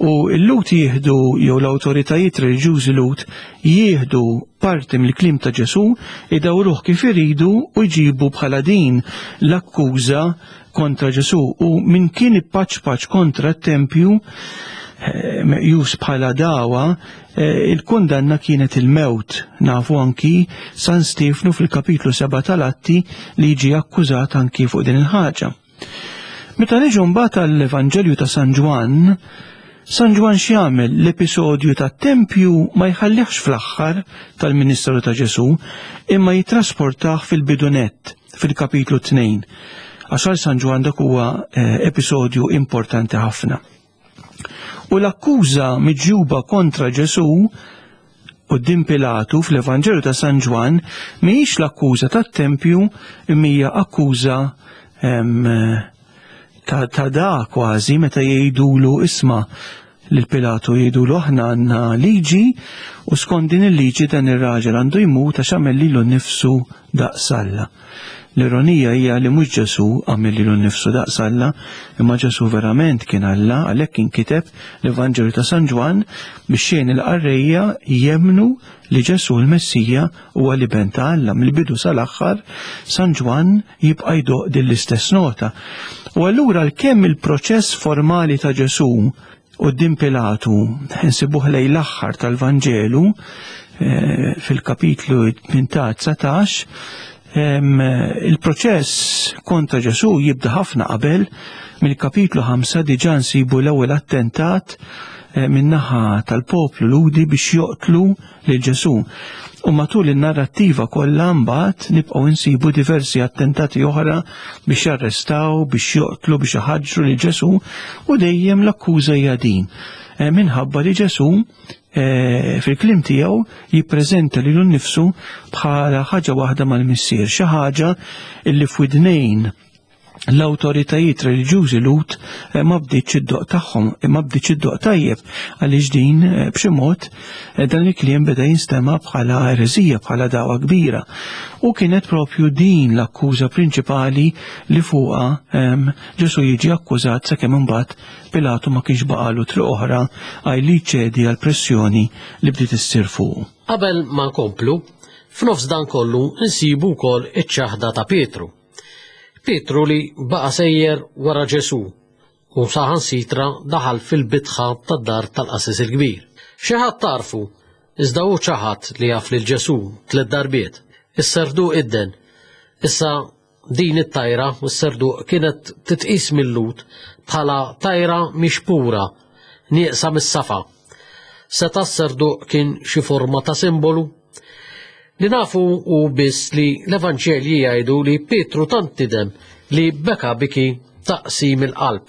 U l-Lut jieħdu jew l-awtoritajiet reliġjużi Lut jieħdu parti mill-kliem ta' Ġesù, idawruh kif iridu u jġibu bħala din l-akkuża kontra Ġesù u min kien ippaċpaċ kontra t-tempju eh, meqjus bħala dawa, eh, il-kundanna kienet il-mewt. Nafu anki San Stefnu fil-kapitlu 7 tal-Atti li jiġi akkużat anki fuq din il-ħaġa. Meta niġu mbagħad għall-Evanġelju ta' San Ġwann, San Ġwann x'jagħmel l-episodju tat-tempju ma jħallihx fl-aħħar tal-ministeru ta' Ġesù, imma jittrasportah fil-bidu nett, fil-kapitlu 2. Għax għal San Ġwann dak huwa eh, episodju importanti ħafna. U l-akkuża miġjuba kontra Ġesù quddiem Pilatu fl-Evanġelju ta' San Ġwann mhijiex l-akkuża tat-tempju imma hija akkuża ta', ta da kważi meta jgħidulu isma' lil Pilatu jgħidulu aħna għandna liġi u skont din il-liġi dan ir-raġel għandu jmut għax għamel lilu nnifsu daqs Alla. L-ironija hija li mhux Ġesù għamel lilu nnifsu daqs Alla, imma Ġesù verament kien Alla, għalhekk inkiteb l-Evanġelju ta' San Ġwann biex jgħin il-qarrejja jemmnu li Ġesù l-Messija huwa l-Iben ta' Alla. Mill-bidu sal-aħħar San Ġwann jibqa' jdoqq din l-istess nota. U allura għalkemm il-proċess formali ta' Ġesù Quddiem Pilatu, insibuh lejn l-aħħar tal-Vanġelu, eh, fil-kapitlu 18-19, il-proċess kontra Ġesù jibda ħafna qabel, mill-kapitlu 5 diġà nsibu l-ewwel attentat eh, min-naħa tal-poplu Lhudi biex joqtlu lil Ġesù. U matul in-narrattiva kollha mbagħad nibqgħu nsibu diversi attentati oħra biex jarrestaw, biex joqtlu, biex iħaġġru lil Ġesù u dejjem l-akkuża hija din. Eh, minħabba li Ġesù eh, fil-kliem tiegħu jippreżenta lilu nnifsu bħala ħaġa waħda mal-Missier, xi ħaġa illi f'widnejn l-awtoritajiet reliġjużi Lhud eh, ma bdietx id-doq tagħhom, eh, ma bdietx id-doq tajjeb għaliex din eh, b'xi mod dan il-kliem beda jinstema' bħala ereżija, bħala dagħwa kbira. U kienet propju din l-akkuża prinċipali li fuqha ehm, Ġesu jiġi akkużat sakemm imbagħad Pilatu ma kienx baqalu triq oħra għaj li jċedi għal pressjoni li bdiet issir fuqu. Qabel ma nkomplu, f'nofs dan kollu nsibu wkoll iċ-ċaħda ta' Pietru. Pietru li baqa' sejjer wara Ġesù u saħansitra daħal fil-bitħa tad-dar tal-qassis il-kbir. Xi ħadd għarfu, iżda hu ċaħad li jaf lil Ġesù tliet darbiet. Is-serduq idden. Issa din it-tajra, is-serduq, kienet titqis mil-Lhud bħala tajra mhix pura, nieqsa mis-safa. Seta' s-serduq kien xi forma ta' simbolu? Li nafu hu biss li l-Evanġelji jgħidu li Pietru tant nidem li beka biki ta' qsim il-qalb.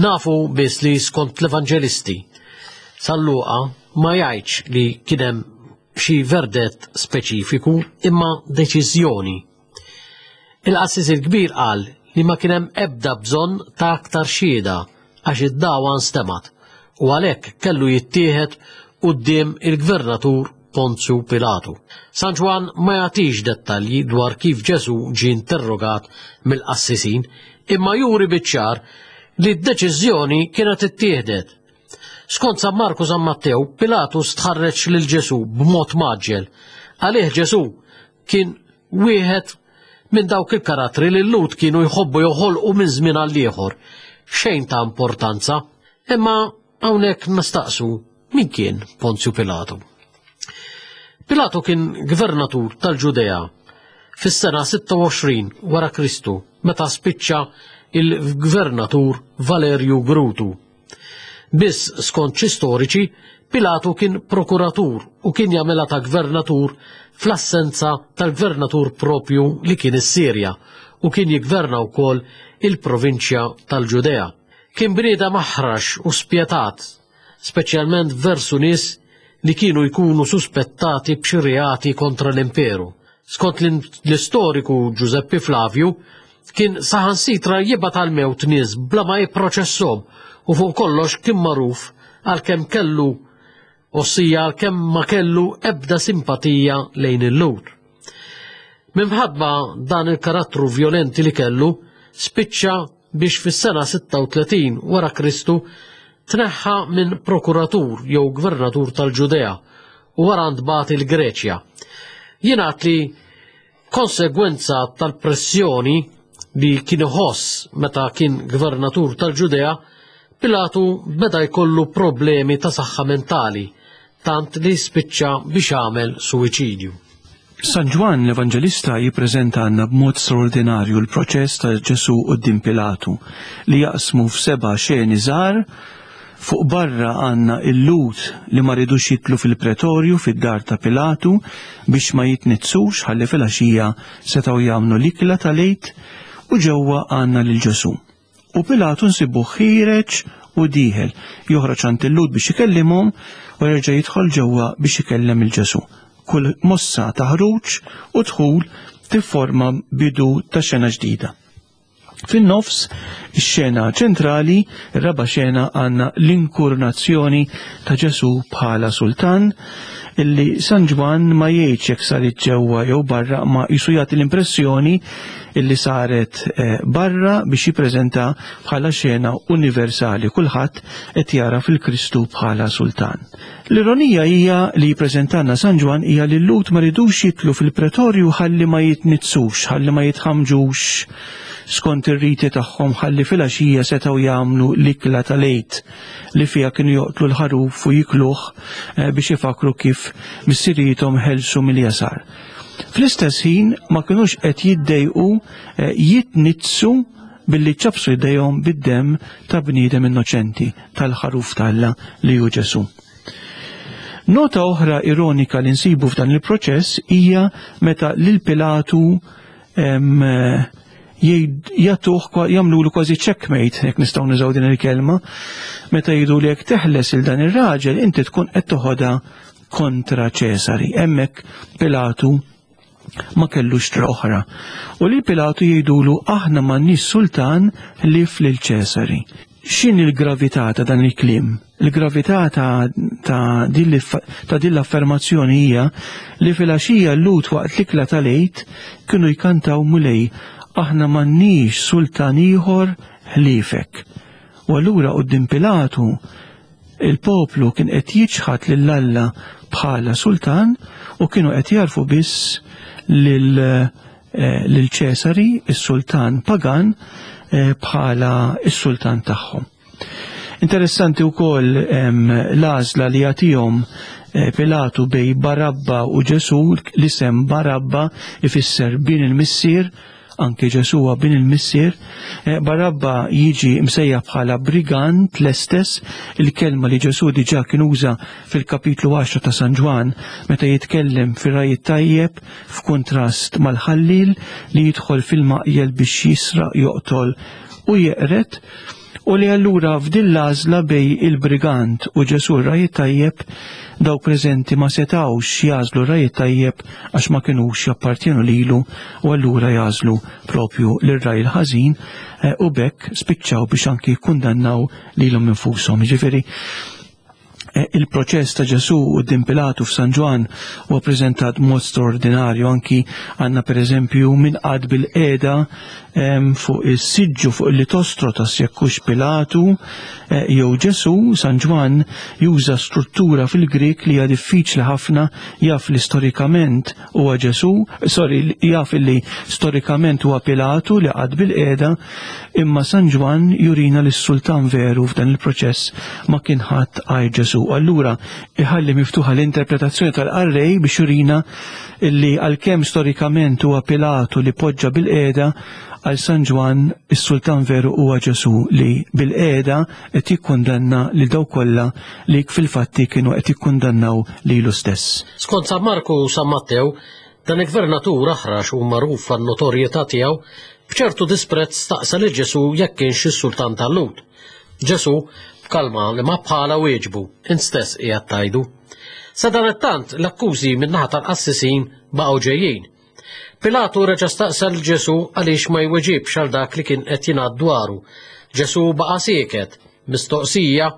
Nafu biss li skont l-Evanġelisti, San Luqa ma jgħidx li kien hemm xi verdett speċifiku imma deċiżjoni. Il-qassis il-kbir qal li ma kien hemm ebda bżonn ta' aktar xhieda għax id-dagħwa nstemgħet u għalhekk kellu jittieħed quddiem il-gvernatur Ponzju Pilatu. San Ġwann ma jagħtix dettalji dwar kif Ġesù ġie interrogat mill-qassisin, imma juri biċ-ċar li d-deċiżjoni kienet ittieħdet. Skont San Marku San Mattew, Pilatu stħarreġ lil Ġesù b'mod mgħaġġel. Għalih Ġesù kien wieħed minn dawk il-karattri li l-Lhud kienu jħobbu joħolqu minn żmien għal ieħor. Xejn ta' importanza, imma hawnhekk nistaqsu min kien Ponzju Pilatu. Pilatu kien gvernatur tal-Ġudea fis-sena 26 wara Kristu meta spiċċa il-gvernatur Valerju Grutu. Biss skont xi storiċi, Pilatu kien prokuratur u kien jagħmilha ta' gvernatur fl-assenza tal-gvernatur propju li kien is-Sirja u kien jiggverna wkoll il-provinċja tal-Ġudea. Kien bniedem aħrax u spjetat, speċjalment versu nies li kienu jkunu suspettati b'xi reati kontra l-imperu. Skont l-istoriku Giuseppe Flavju, kien saħansitra jibgħat għall-mewt nies bla ma jipproċesshom u fuq kollox kien magħruf għalkemm kellu ossija għalkemm ma kellu ebda simpatija lejn il-Lhud. Minħabba dan il-karattru vjolenti li kellu, spiċċa biex fis-sena 36 wara Kristu tneħħa minn prokuratur jew gvernatur tal-Ġudea u wara ntbagħat il-Greċja. Jingħad li konsegwenza tal-pressjoni li kien iħoss meta kien gvernatur tal-Ġudea, Pilatu beda jkollu problemi ta' saħħa mentali, tant li spiċċa biex għamel suwiċidju. San Ġwann l-Evanġelista jippreżenta għandna b'mod straordinarju l-proċess ta' Ġesù quddiem Pilatu li jaqsmu f'seba' xeni żgħar. Fuq barra għandna il-Lhud li ma ridux jitlu fil-pretorju fid-dar ta' Pilatu biex ma jitnizzux ħalli filgħaxija setgħu jagħmlu l-ikla tal-Għid u ġewwa għandna lil Ġesù. U Pilatu nsibuh ħiereġ u dieħel, joħroġ għand il-Lhud biex ikellimhom u jerġa' jidħol ġewwa biex ikellem il Ġesù. Kull mossa ta' ħruġ u dħul tifforma bidu ta' xena ġdida. Fin-nofs, ix-xena ċentrali, ir-raba' xena għandna l-inkurnazzjoni ta' Ġesù bħala sultan, illi San Ġwann ma jgħidx jekk saret ġewwa jew barra ma jisu jagħti l-impressjoni illi saret eh, barra biex jippreżenta bħala xena universali kulħadd qed jara fil-Kristu bħala sultan. L-ironija hija li jippreżentanna San Ġwann hija li l-Lhud ma ridux jitlu fil-pretorju ħalli ma jitnizzux, ħalli ma jitħamġux skont ir-riti tagħhom ħalli filgħaxija setgħu jagħmlu l-ikla tal-Għid li fiha kienu joqtlu l-ħaruf u jikluh eh, biex ifakru kif missirijiethom ħelsu mill-jasar. Fl-istess ħin ma kinux qed jiddejqu eh, jitnizzu billi ċabsu jdejhom bid-demm ta' bniedem innoċenti tal-ħaruf t'Alla li hu Ġesù. Nota oħra ironika li nsibu f'dan il-proċess hija meta lil Pilatu jagħtuh jagħmlulu kważi checkmate, jekk nistgħu nużaw din il-kelma, meta jgħidu li jekk teħles il dan ir-raġel inti tkun qed toħodha kontra Ċesari. Hemmhekk Pilatu ma kellux tra oħra. U li Pilatu jgħidulu aħna m'għandniex sultan ħlief lil Ċesari. X'inhi l-gravità ta' dan il-kliem? Il-gravità ta', ta, ta din l-affermazzjoni hija li filgħaxija l-Lhud waqt l-ikla tal-Għid kienu jkantaw Mulej, aħna m'għandniex sultan ieħor ħliefek. U allura quddiem Pilatu il-poplu kien qed jiċħad lil Alla bħala sultan u kienu qed jarfu biss lil eh, lil Ċesari, is-sultan pagan, eh, bħala is-sultan tagħhom. Interessanti wkoll l-għażla li jagħtihom eh, Pilatu bej Barabba u Ġesu, l-isem Barabba ifisser bin il-missier, Anki Ġesù huwa bin il-Missier. Eh, Barabba jiġi msejjaħ bħala brigant l-estess, il-kelma li Ġesù diġà kien uża fil-kapitlu 10 ta' San Ġwann meta jitkellem fir-raj tajjeb f'kuntrast mal-ħallil li jidħol fil-maqjel biex jisraq, joqtol u jeqred u li allura f'din l-għażla bej il-brigant u Ġesù r-raj tajjeb dawk preżenti ma setgħux jagħżlu r-raj tajjeb għax ma kinux jappartjenu lilu u allura jagħżlu propju lir-raj il-ħażin eh, u bekk spiċċaw biex anki jikkundannaw lilhom infushom. Ġifieri Eh, il-proċess ta' Ġesù quddiem Pilatu f'San Ġwann huwa preżentat mod straordinarju anki għandna pereżempju min qagħad bil-qiegħda fuq is-siġġu fuq il-litostro ta' sjekkux Pilatu eh, jew Ġesù, San Ġwann juża struttura fil-Grik li hija diffiċli ħafna jaf li storikament huwa Ġesù, sorry, jaf li storikament huwa Pilatu li qagħad bil-qiegħda, imma San Ġwann jurina li s-sultan veru f'dan il-proċess ma kien ħadd għajr Ġesù. Allura iħalli miftuħa l-interpretazzjoni tal-qarrej biex jurina li għalkemm storikament huwa Pilatu li poġġa bil-qiegħda, għal San Ġwann is-sultan veru huwa Ġesù li bil-qiegħda qed jikkundanna lil dawk kollha li fil-fatti kienu qed jikkundannaw lilu stess. Skont San Marku u San Mattew, dan il-gvernatur aħrax u magħruf għan-notorjetà tiegħu, b'ċertu disprezz staqsa lil Ġesù jekk kienx is-sultan tal-Lhud. Ġesù, b'kalma li ma bħala wieġbu, int stess qiegħed tgħidu. Sadanittant, l-akkużi min-naħa tal-qassisin baqgħu ġejjin. Pilatu reġa' staqsa lil Ġesù għaliex ma jweġibx għal dak li kien qed jingħad dwaru. Ġesù baqa' sieket. Mistoqsija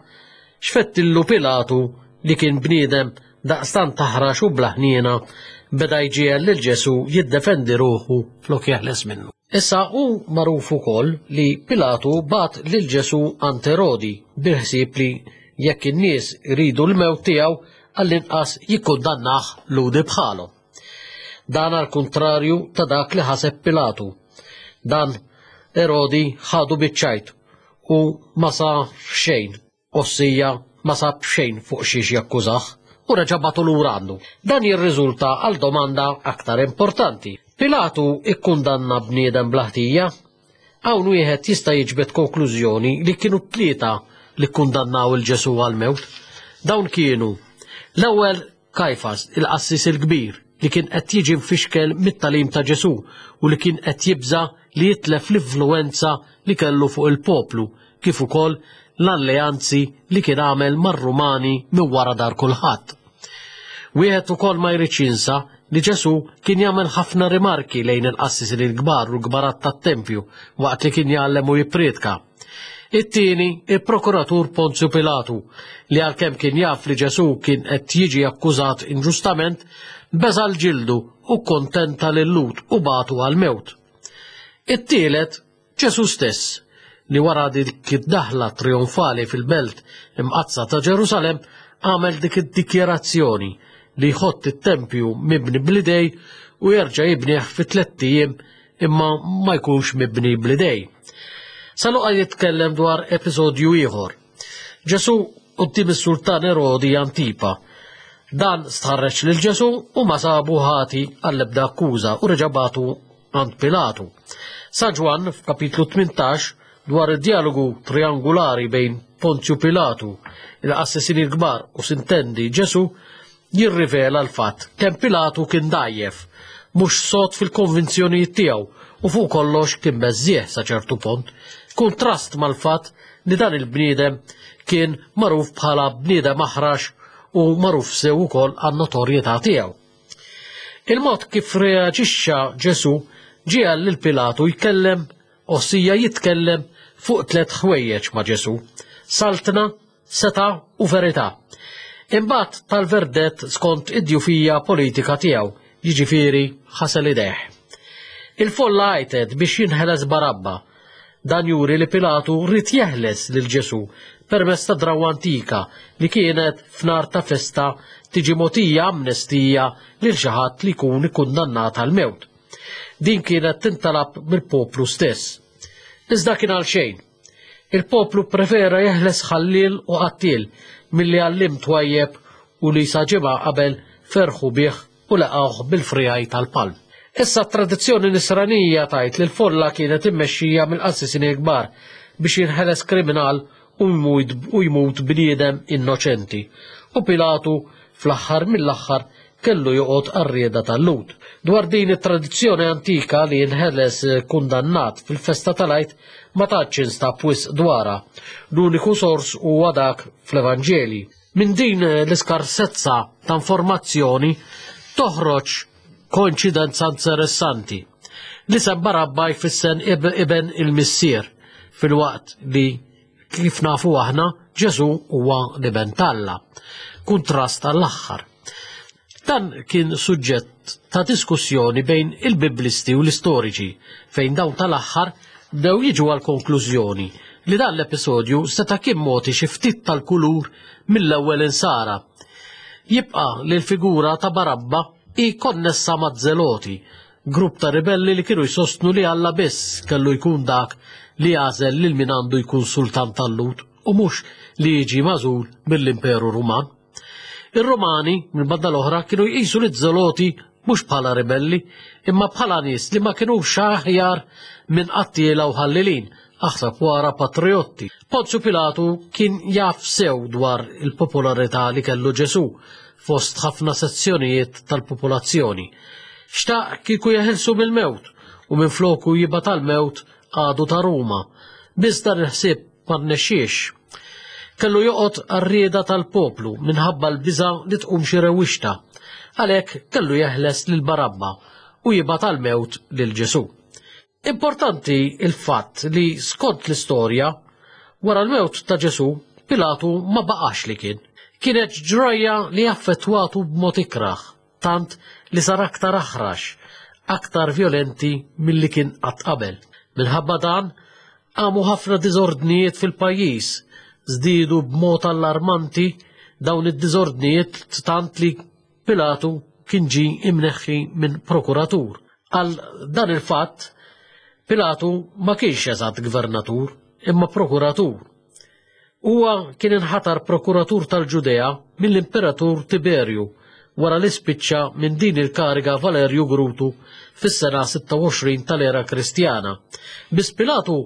x'fettillu Pilatu li kien bniedem daqstant taħrax u bla ħniena beda jġiegħel lil Ġesù jiddefendi ruħu flok jeħles minnu. Issa hu magħruf ukoll li Pilatu bagħat lil Ġesù għand Erodi bil-ħsieb li jekk in-nies iridu l-mewt tiegħu għall-inqas jikkundannah Lhudi bħalhom. Dan għal kuntrarju ta' dak li ħaseb Pilatu. Dan Erodi ħadu biċ-ċajt u ma sa xejn, ossija ma sab xejn fuq xiex jakkużah. u reġa' bagħtu lura għandu. Dan jirriżulta għal domanda aktar importanti. Pilatu ikkundanna bniedem bla ħtija? Hawn wieħed jista' jiġbed konklużjoni li kienu t-tlieta li kkundannaw il Ġesù għall-mewt. Dawn kienu l-ewwel Kajfas, il-qassis il-kbir, li kien qed jiġi mfixkel mit-tagħlim ta' Ġesù u li kien qed jibża' li jitlef l-influwenza li kellu fuq il-poplu kif ukoll l-alleanzi li kien għamel mar-Rumani minn wara dar kulħadd. Wieħed ukoll ma jridx jinsa li Ġesù kien jagħmel ħafna rimarki lejn il-qassisin il-kbar u l-kbarat tat-tempju waqt li kien jgħallem u jippriedka. It-tieni, il-prokuratur Ponzju Pilatu, li għalkemm kien jaf li Ġesù kien qed jiġi akkużat inġustament, beża' l-ġildu u kkontenta lil-Lhud u bagħtu għall-mewt. It-tielet, Ġesù stess, li wara dik id-daħla trionfali fil-belt imqaddsa ta' Ġerusalemm għamel dik id-dikjarazzjoni li jħott it-tempju mibni bl-idej u jerġa' jibnih fi tlett ijiem imma ma jkunx mibni bl-idej. Sa Luqa jitkellem dwar episodju ieħor. Ġesù quddiem is-sultan Erodi Antipa. Dan stħarreġ lil Ġesù u ma sabu ħati għall-ebda akkuża u reġa' bagħtu għand Pilatu. San Ġwann f'kapitlu 18 dwar id-dialogu triangulari bejn Ponzju Pilatu, il-qassisin il-kbar u sintendi Ġesù, jirrivela l-fatt kemm Pilatu kien dgħajjef, mhux sod fil-konvinzjonijiet tiegħu u fuq kollox kien beżżieħ sa ċertu punt, kuntrast mal-fatt li dan il-bniedem kien magħruf bħala bniedem aħrax u magħruf sew ukoll għan-notorjetà tiegħu. Il-mod kif reaġixxa Ġesù ġiegħel lil Pilatu jkellem, ossia jitkellem fuq tliet ħwejjeġ ma' Ġesù, saltna, setgħa u verità. Imbagħad tal-verdett skont id-djufija politika tiegħu, jiġifieri ħasel idejh. Il-folla għajtet biex jinħeles Barabba. Dan juri li Pilatu ried jeħles lil Ġesù permezz ta' drawwa antika li kienet f'nar ta' festa tiġi mogħtija amnestija lil xi ħadd li jkun ikkundannat għall-mewt. Din kienet tintalab mill-poplu stess. Iżda kien għal xejn. Il-poplu pprefera jeħles ħalliel u qattiel milli għalliem twajjeb u li sa ġimgħa qabel ferħu bih u laqgħuh bil-friegħi tal-palm. Issa t-tradizzjoni nisranija tgħid li l-folla kienet immexxija mill-qassisin il-kbar biex jinħeles kriminal u jmut bniedem innoċenti. U Pilatu fl-aħħar mill-aħħar kellu joqgħod għar-rieda tal-Lhud. Dwar din it-tradizzjoni antika li jinħeles kundannat fil-festa tal-Għid ma tantx instab wisq dwarha. L-uniku sors huwa dak fl-Evanġeli. Minn din l-iskarsezza ta' informazzjoni toħroġ koinċidenza interessanti. L-isem Barabba jfisser iben il-missier filwaqt li kif nafu aħna Ġesù huwa l-iben t'Alla. Kuntrast għall-aħħar. Dan kien suġġett ta' diskussjoni bejn il-Biblisti u l-istoriċi fejn dawn tal-aħħar bdew jiġu għal konklużjoni li dan l-episodju seta' kien mogħti xi ftit tal-kulur mill-ewwel insara. Jibqa' li l-figura ta' Barabba hi konnessa maż-Żeloti, grupp ta' ribelli li kienu jsostnu li Alla biss kellu jkun dak li jagħżel lil min għandu jkun sultan tal-Lhud u mhux li jiġi magħżul mill-Imperu Ruman. Ir-Rumani, mill-banda l-oħra, kienu jqisu liż-Żeloti mhux bħala ribelli, imma bħala nies li ma kinux aħjar minn qattiela u ħallilin, aħseb wara patrijotti. Ponzju Pilatu kien jaf sew dwar il-popolarità li kellu Ġesù fost ħafna sezzjonijiet tal-popolazzjoni. Xtaq kieku jeħilsu mill-mewt u minfloku jibgħat għall-mewt għadu ta' Ruma. Biss dan il-ħsieb ma rnexxiex. Kellu joqgħod għar-rieda tal-poplu minħabba l-biża' li tqum xi rewwixta. Għalhekk kellu jeħles lil Barabba u jibgħat għall-mewt lil Ġesù. Importanti l-fatt li skont l-istorja, wara l-mewt ta' Ġesù, Pilatu ma baqax li kien. Kienet ġrajja li affettwatu b'mod ikrah, tant li sar aktar aħrax, aktar vjolenti milli kien qatt qabel. Minħabba dan, qamu ħafna diżordnijiet fil-pajjiż, żdiedu b'mod allarmanti dawn id-diżordnijiet tant li Pilatu kien ġie imneħħi minn prokuratur. Għal dan il-fatt, Pilatu ma kienx eżatt gvernatur, imma prokuratur. Huwa kien inħatar prokuratur tal-Ġudea mill-Imperatur Tiberju wara li spiċċa minn din il-kariga Valerju Grutu fis-sena 26 tal-era Kristjana. Biss Pilatu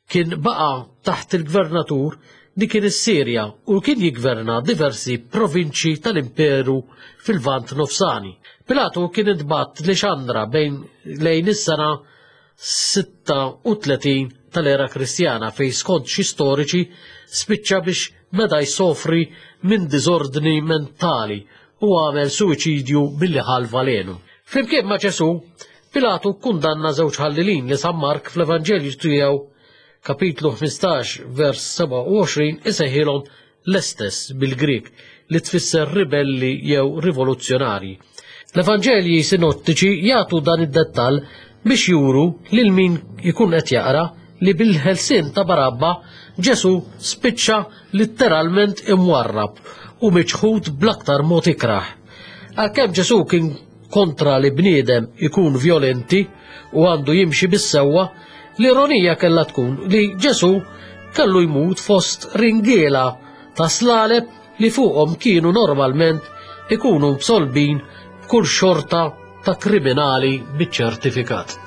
kien baqa' taħt il-gvernatur li kien is-Sirja u kien jiggverna diversi provinċji tal-Imperu fil-Lvant Nofsani. Pilatu kien intbagħat Lixandra bejn lejn is-sena 36 tal-era Kristjana fejn skont xi storiċi spiċċa biex beda jsofri minn diżordni mentali u għamel suwiċidju billi ħa l-valenu. Flimkien ma' Ġesù, Pilatu kkundanna żewġ ħallilin li San Mark fl-Evanġelju tiegħu kapitlu 15 vers 27 isejħilhom l-estes bil-Grieg li tfisser ribelli jew rivoluzzjonarji. L-Evanġelji sinottiċi jagħtu dan id-dettall biex juru lil min ikun qed jaqra li bil-ħelsien ta' Barabba Ġesù spiċċa litteralment imwarrab u miċħud bl-aktar mod ikrah. Għalkemm Ġesù kien kontra li bniedem ikun vjolenti u għandu jimxi bis-sewwa, l-ironija kellha tkun li Ġesù kellu jmut fost ringiela ta' slaleb li fuqhom kienu normalment ikunu msolbin b'kull xorta ta' kriminali biċ-ċertifikat.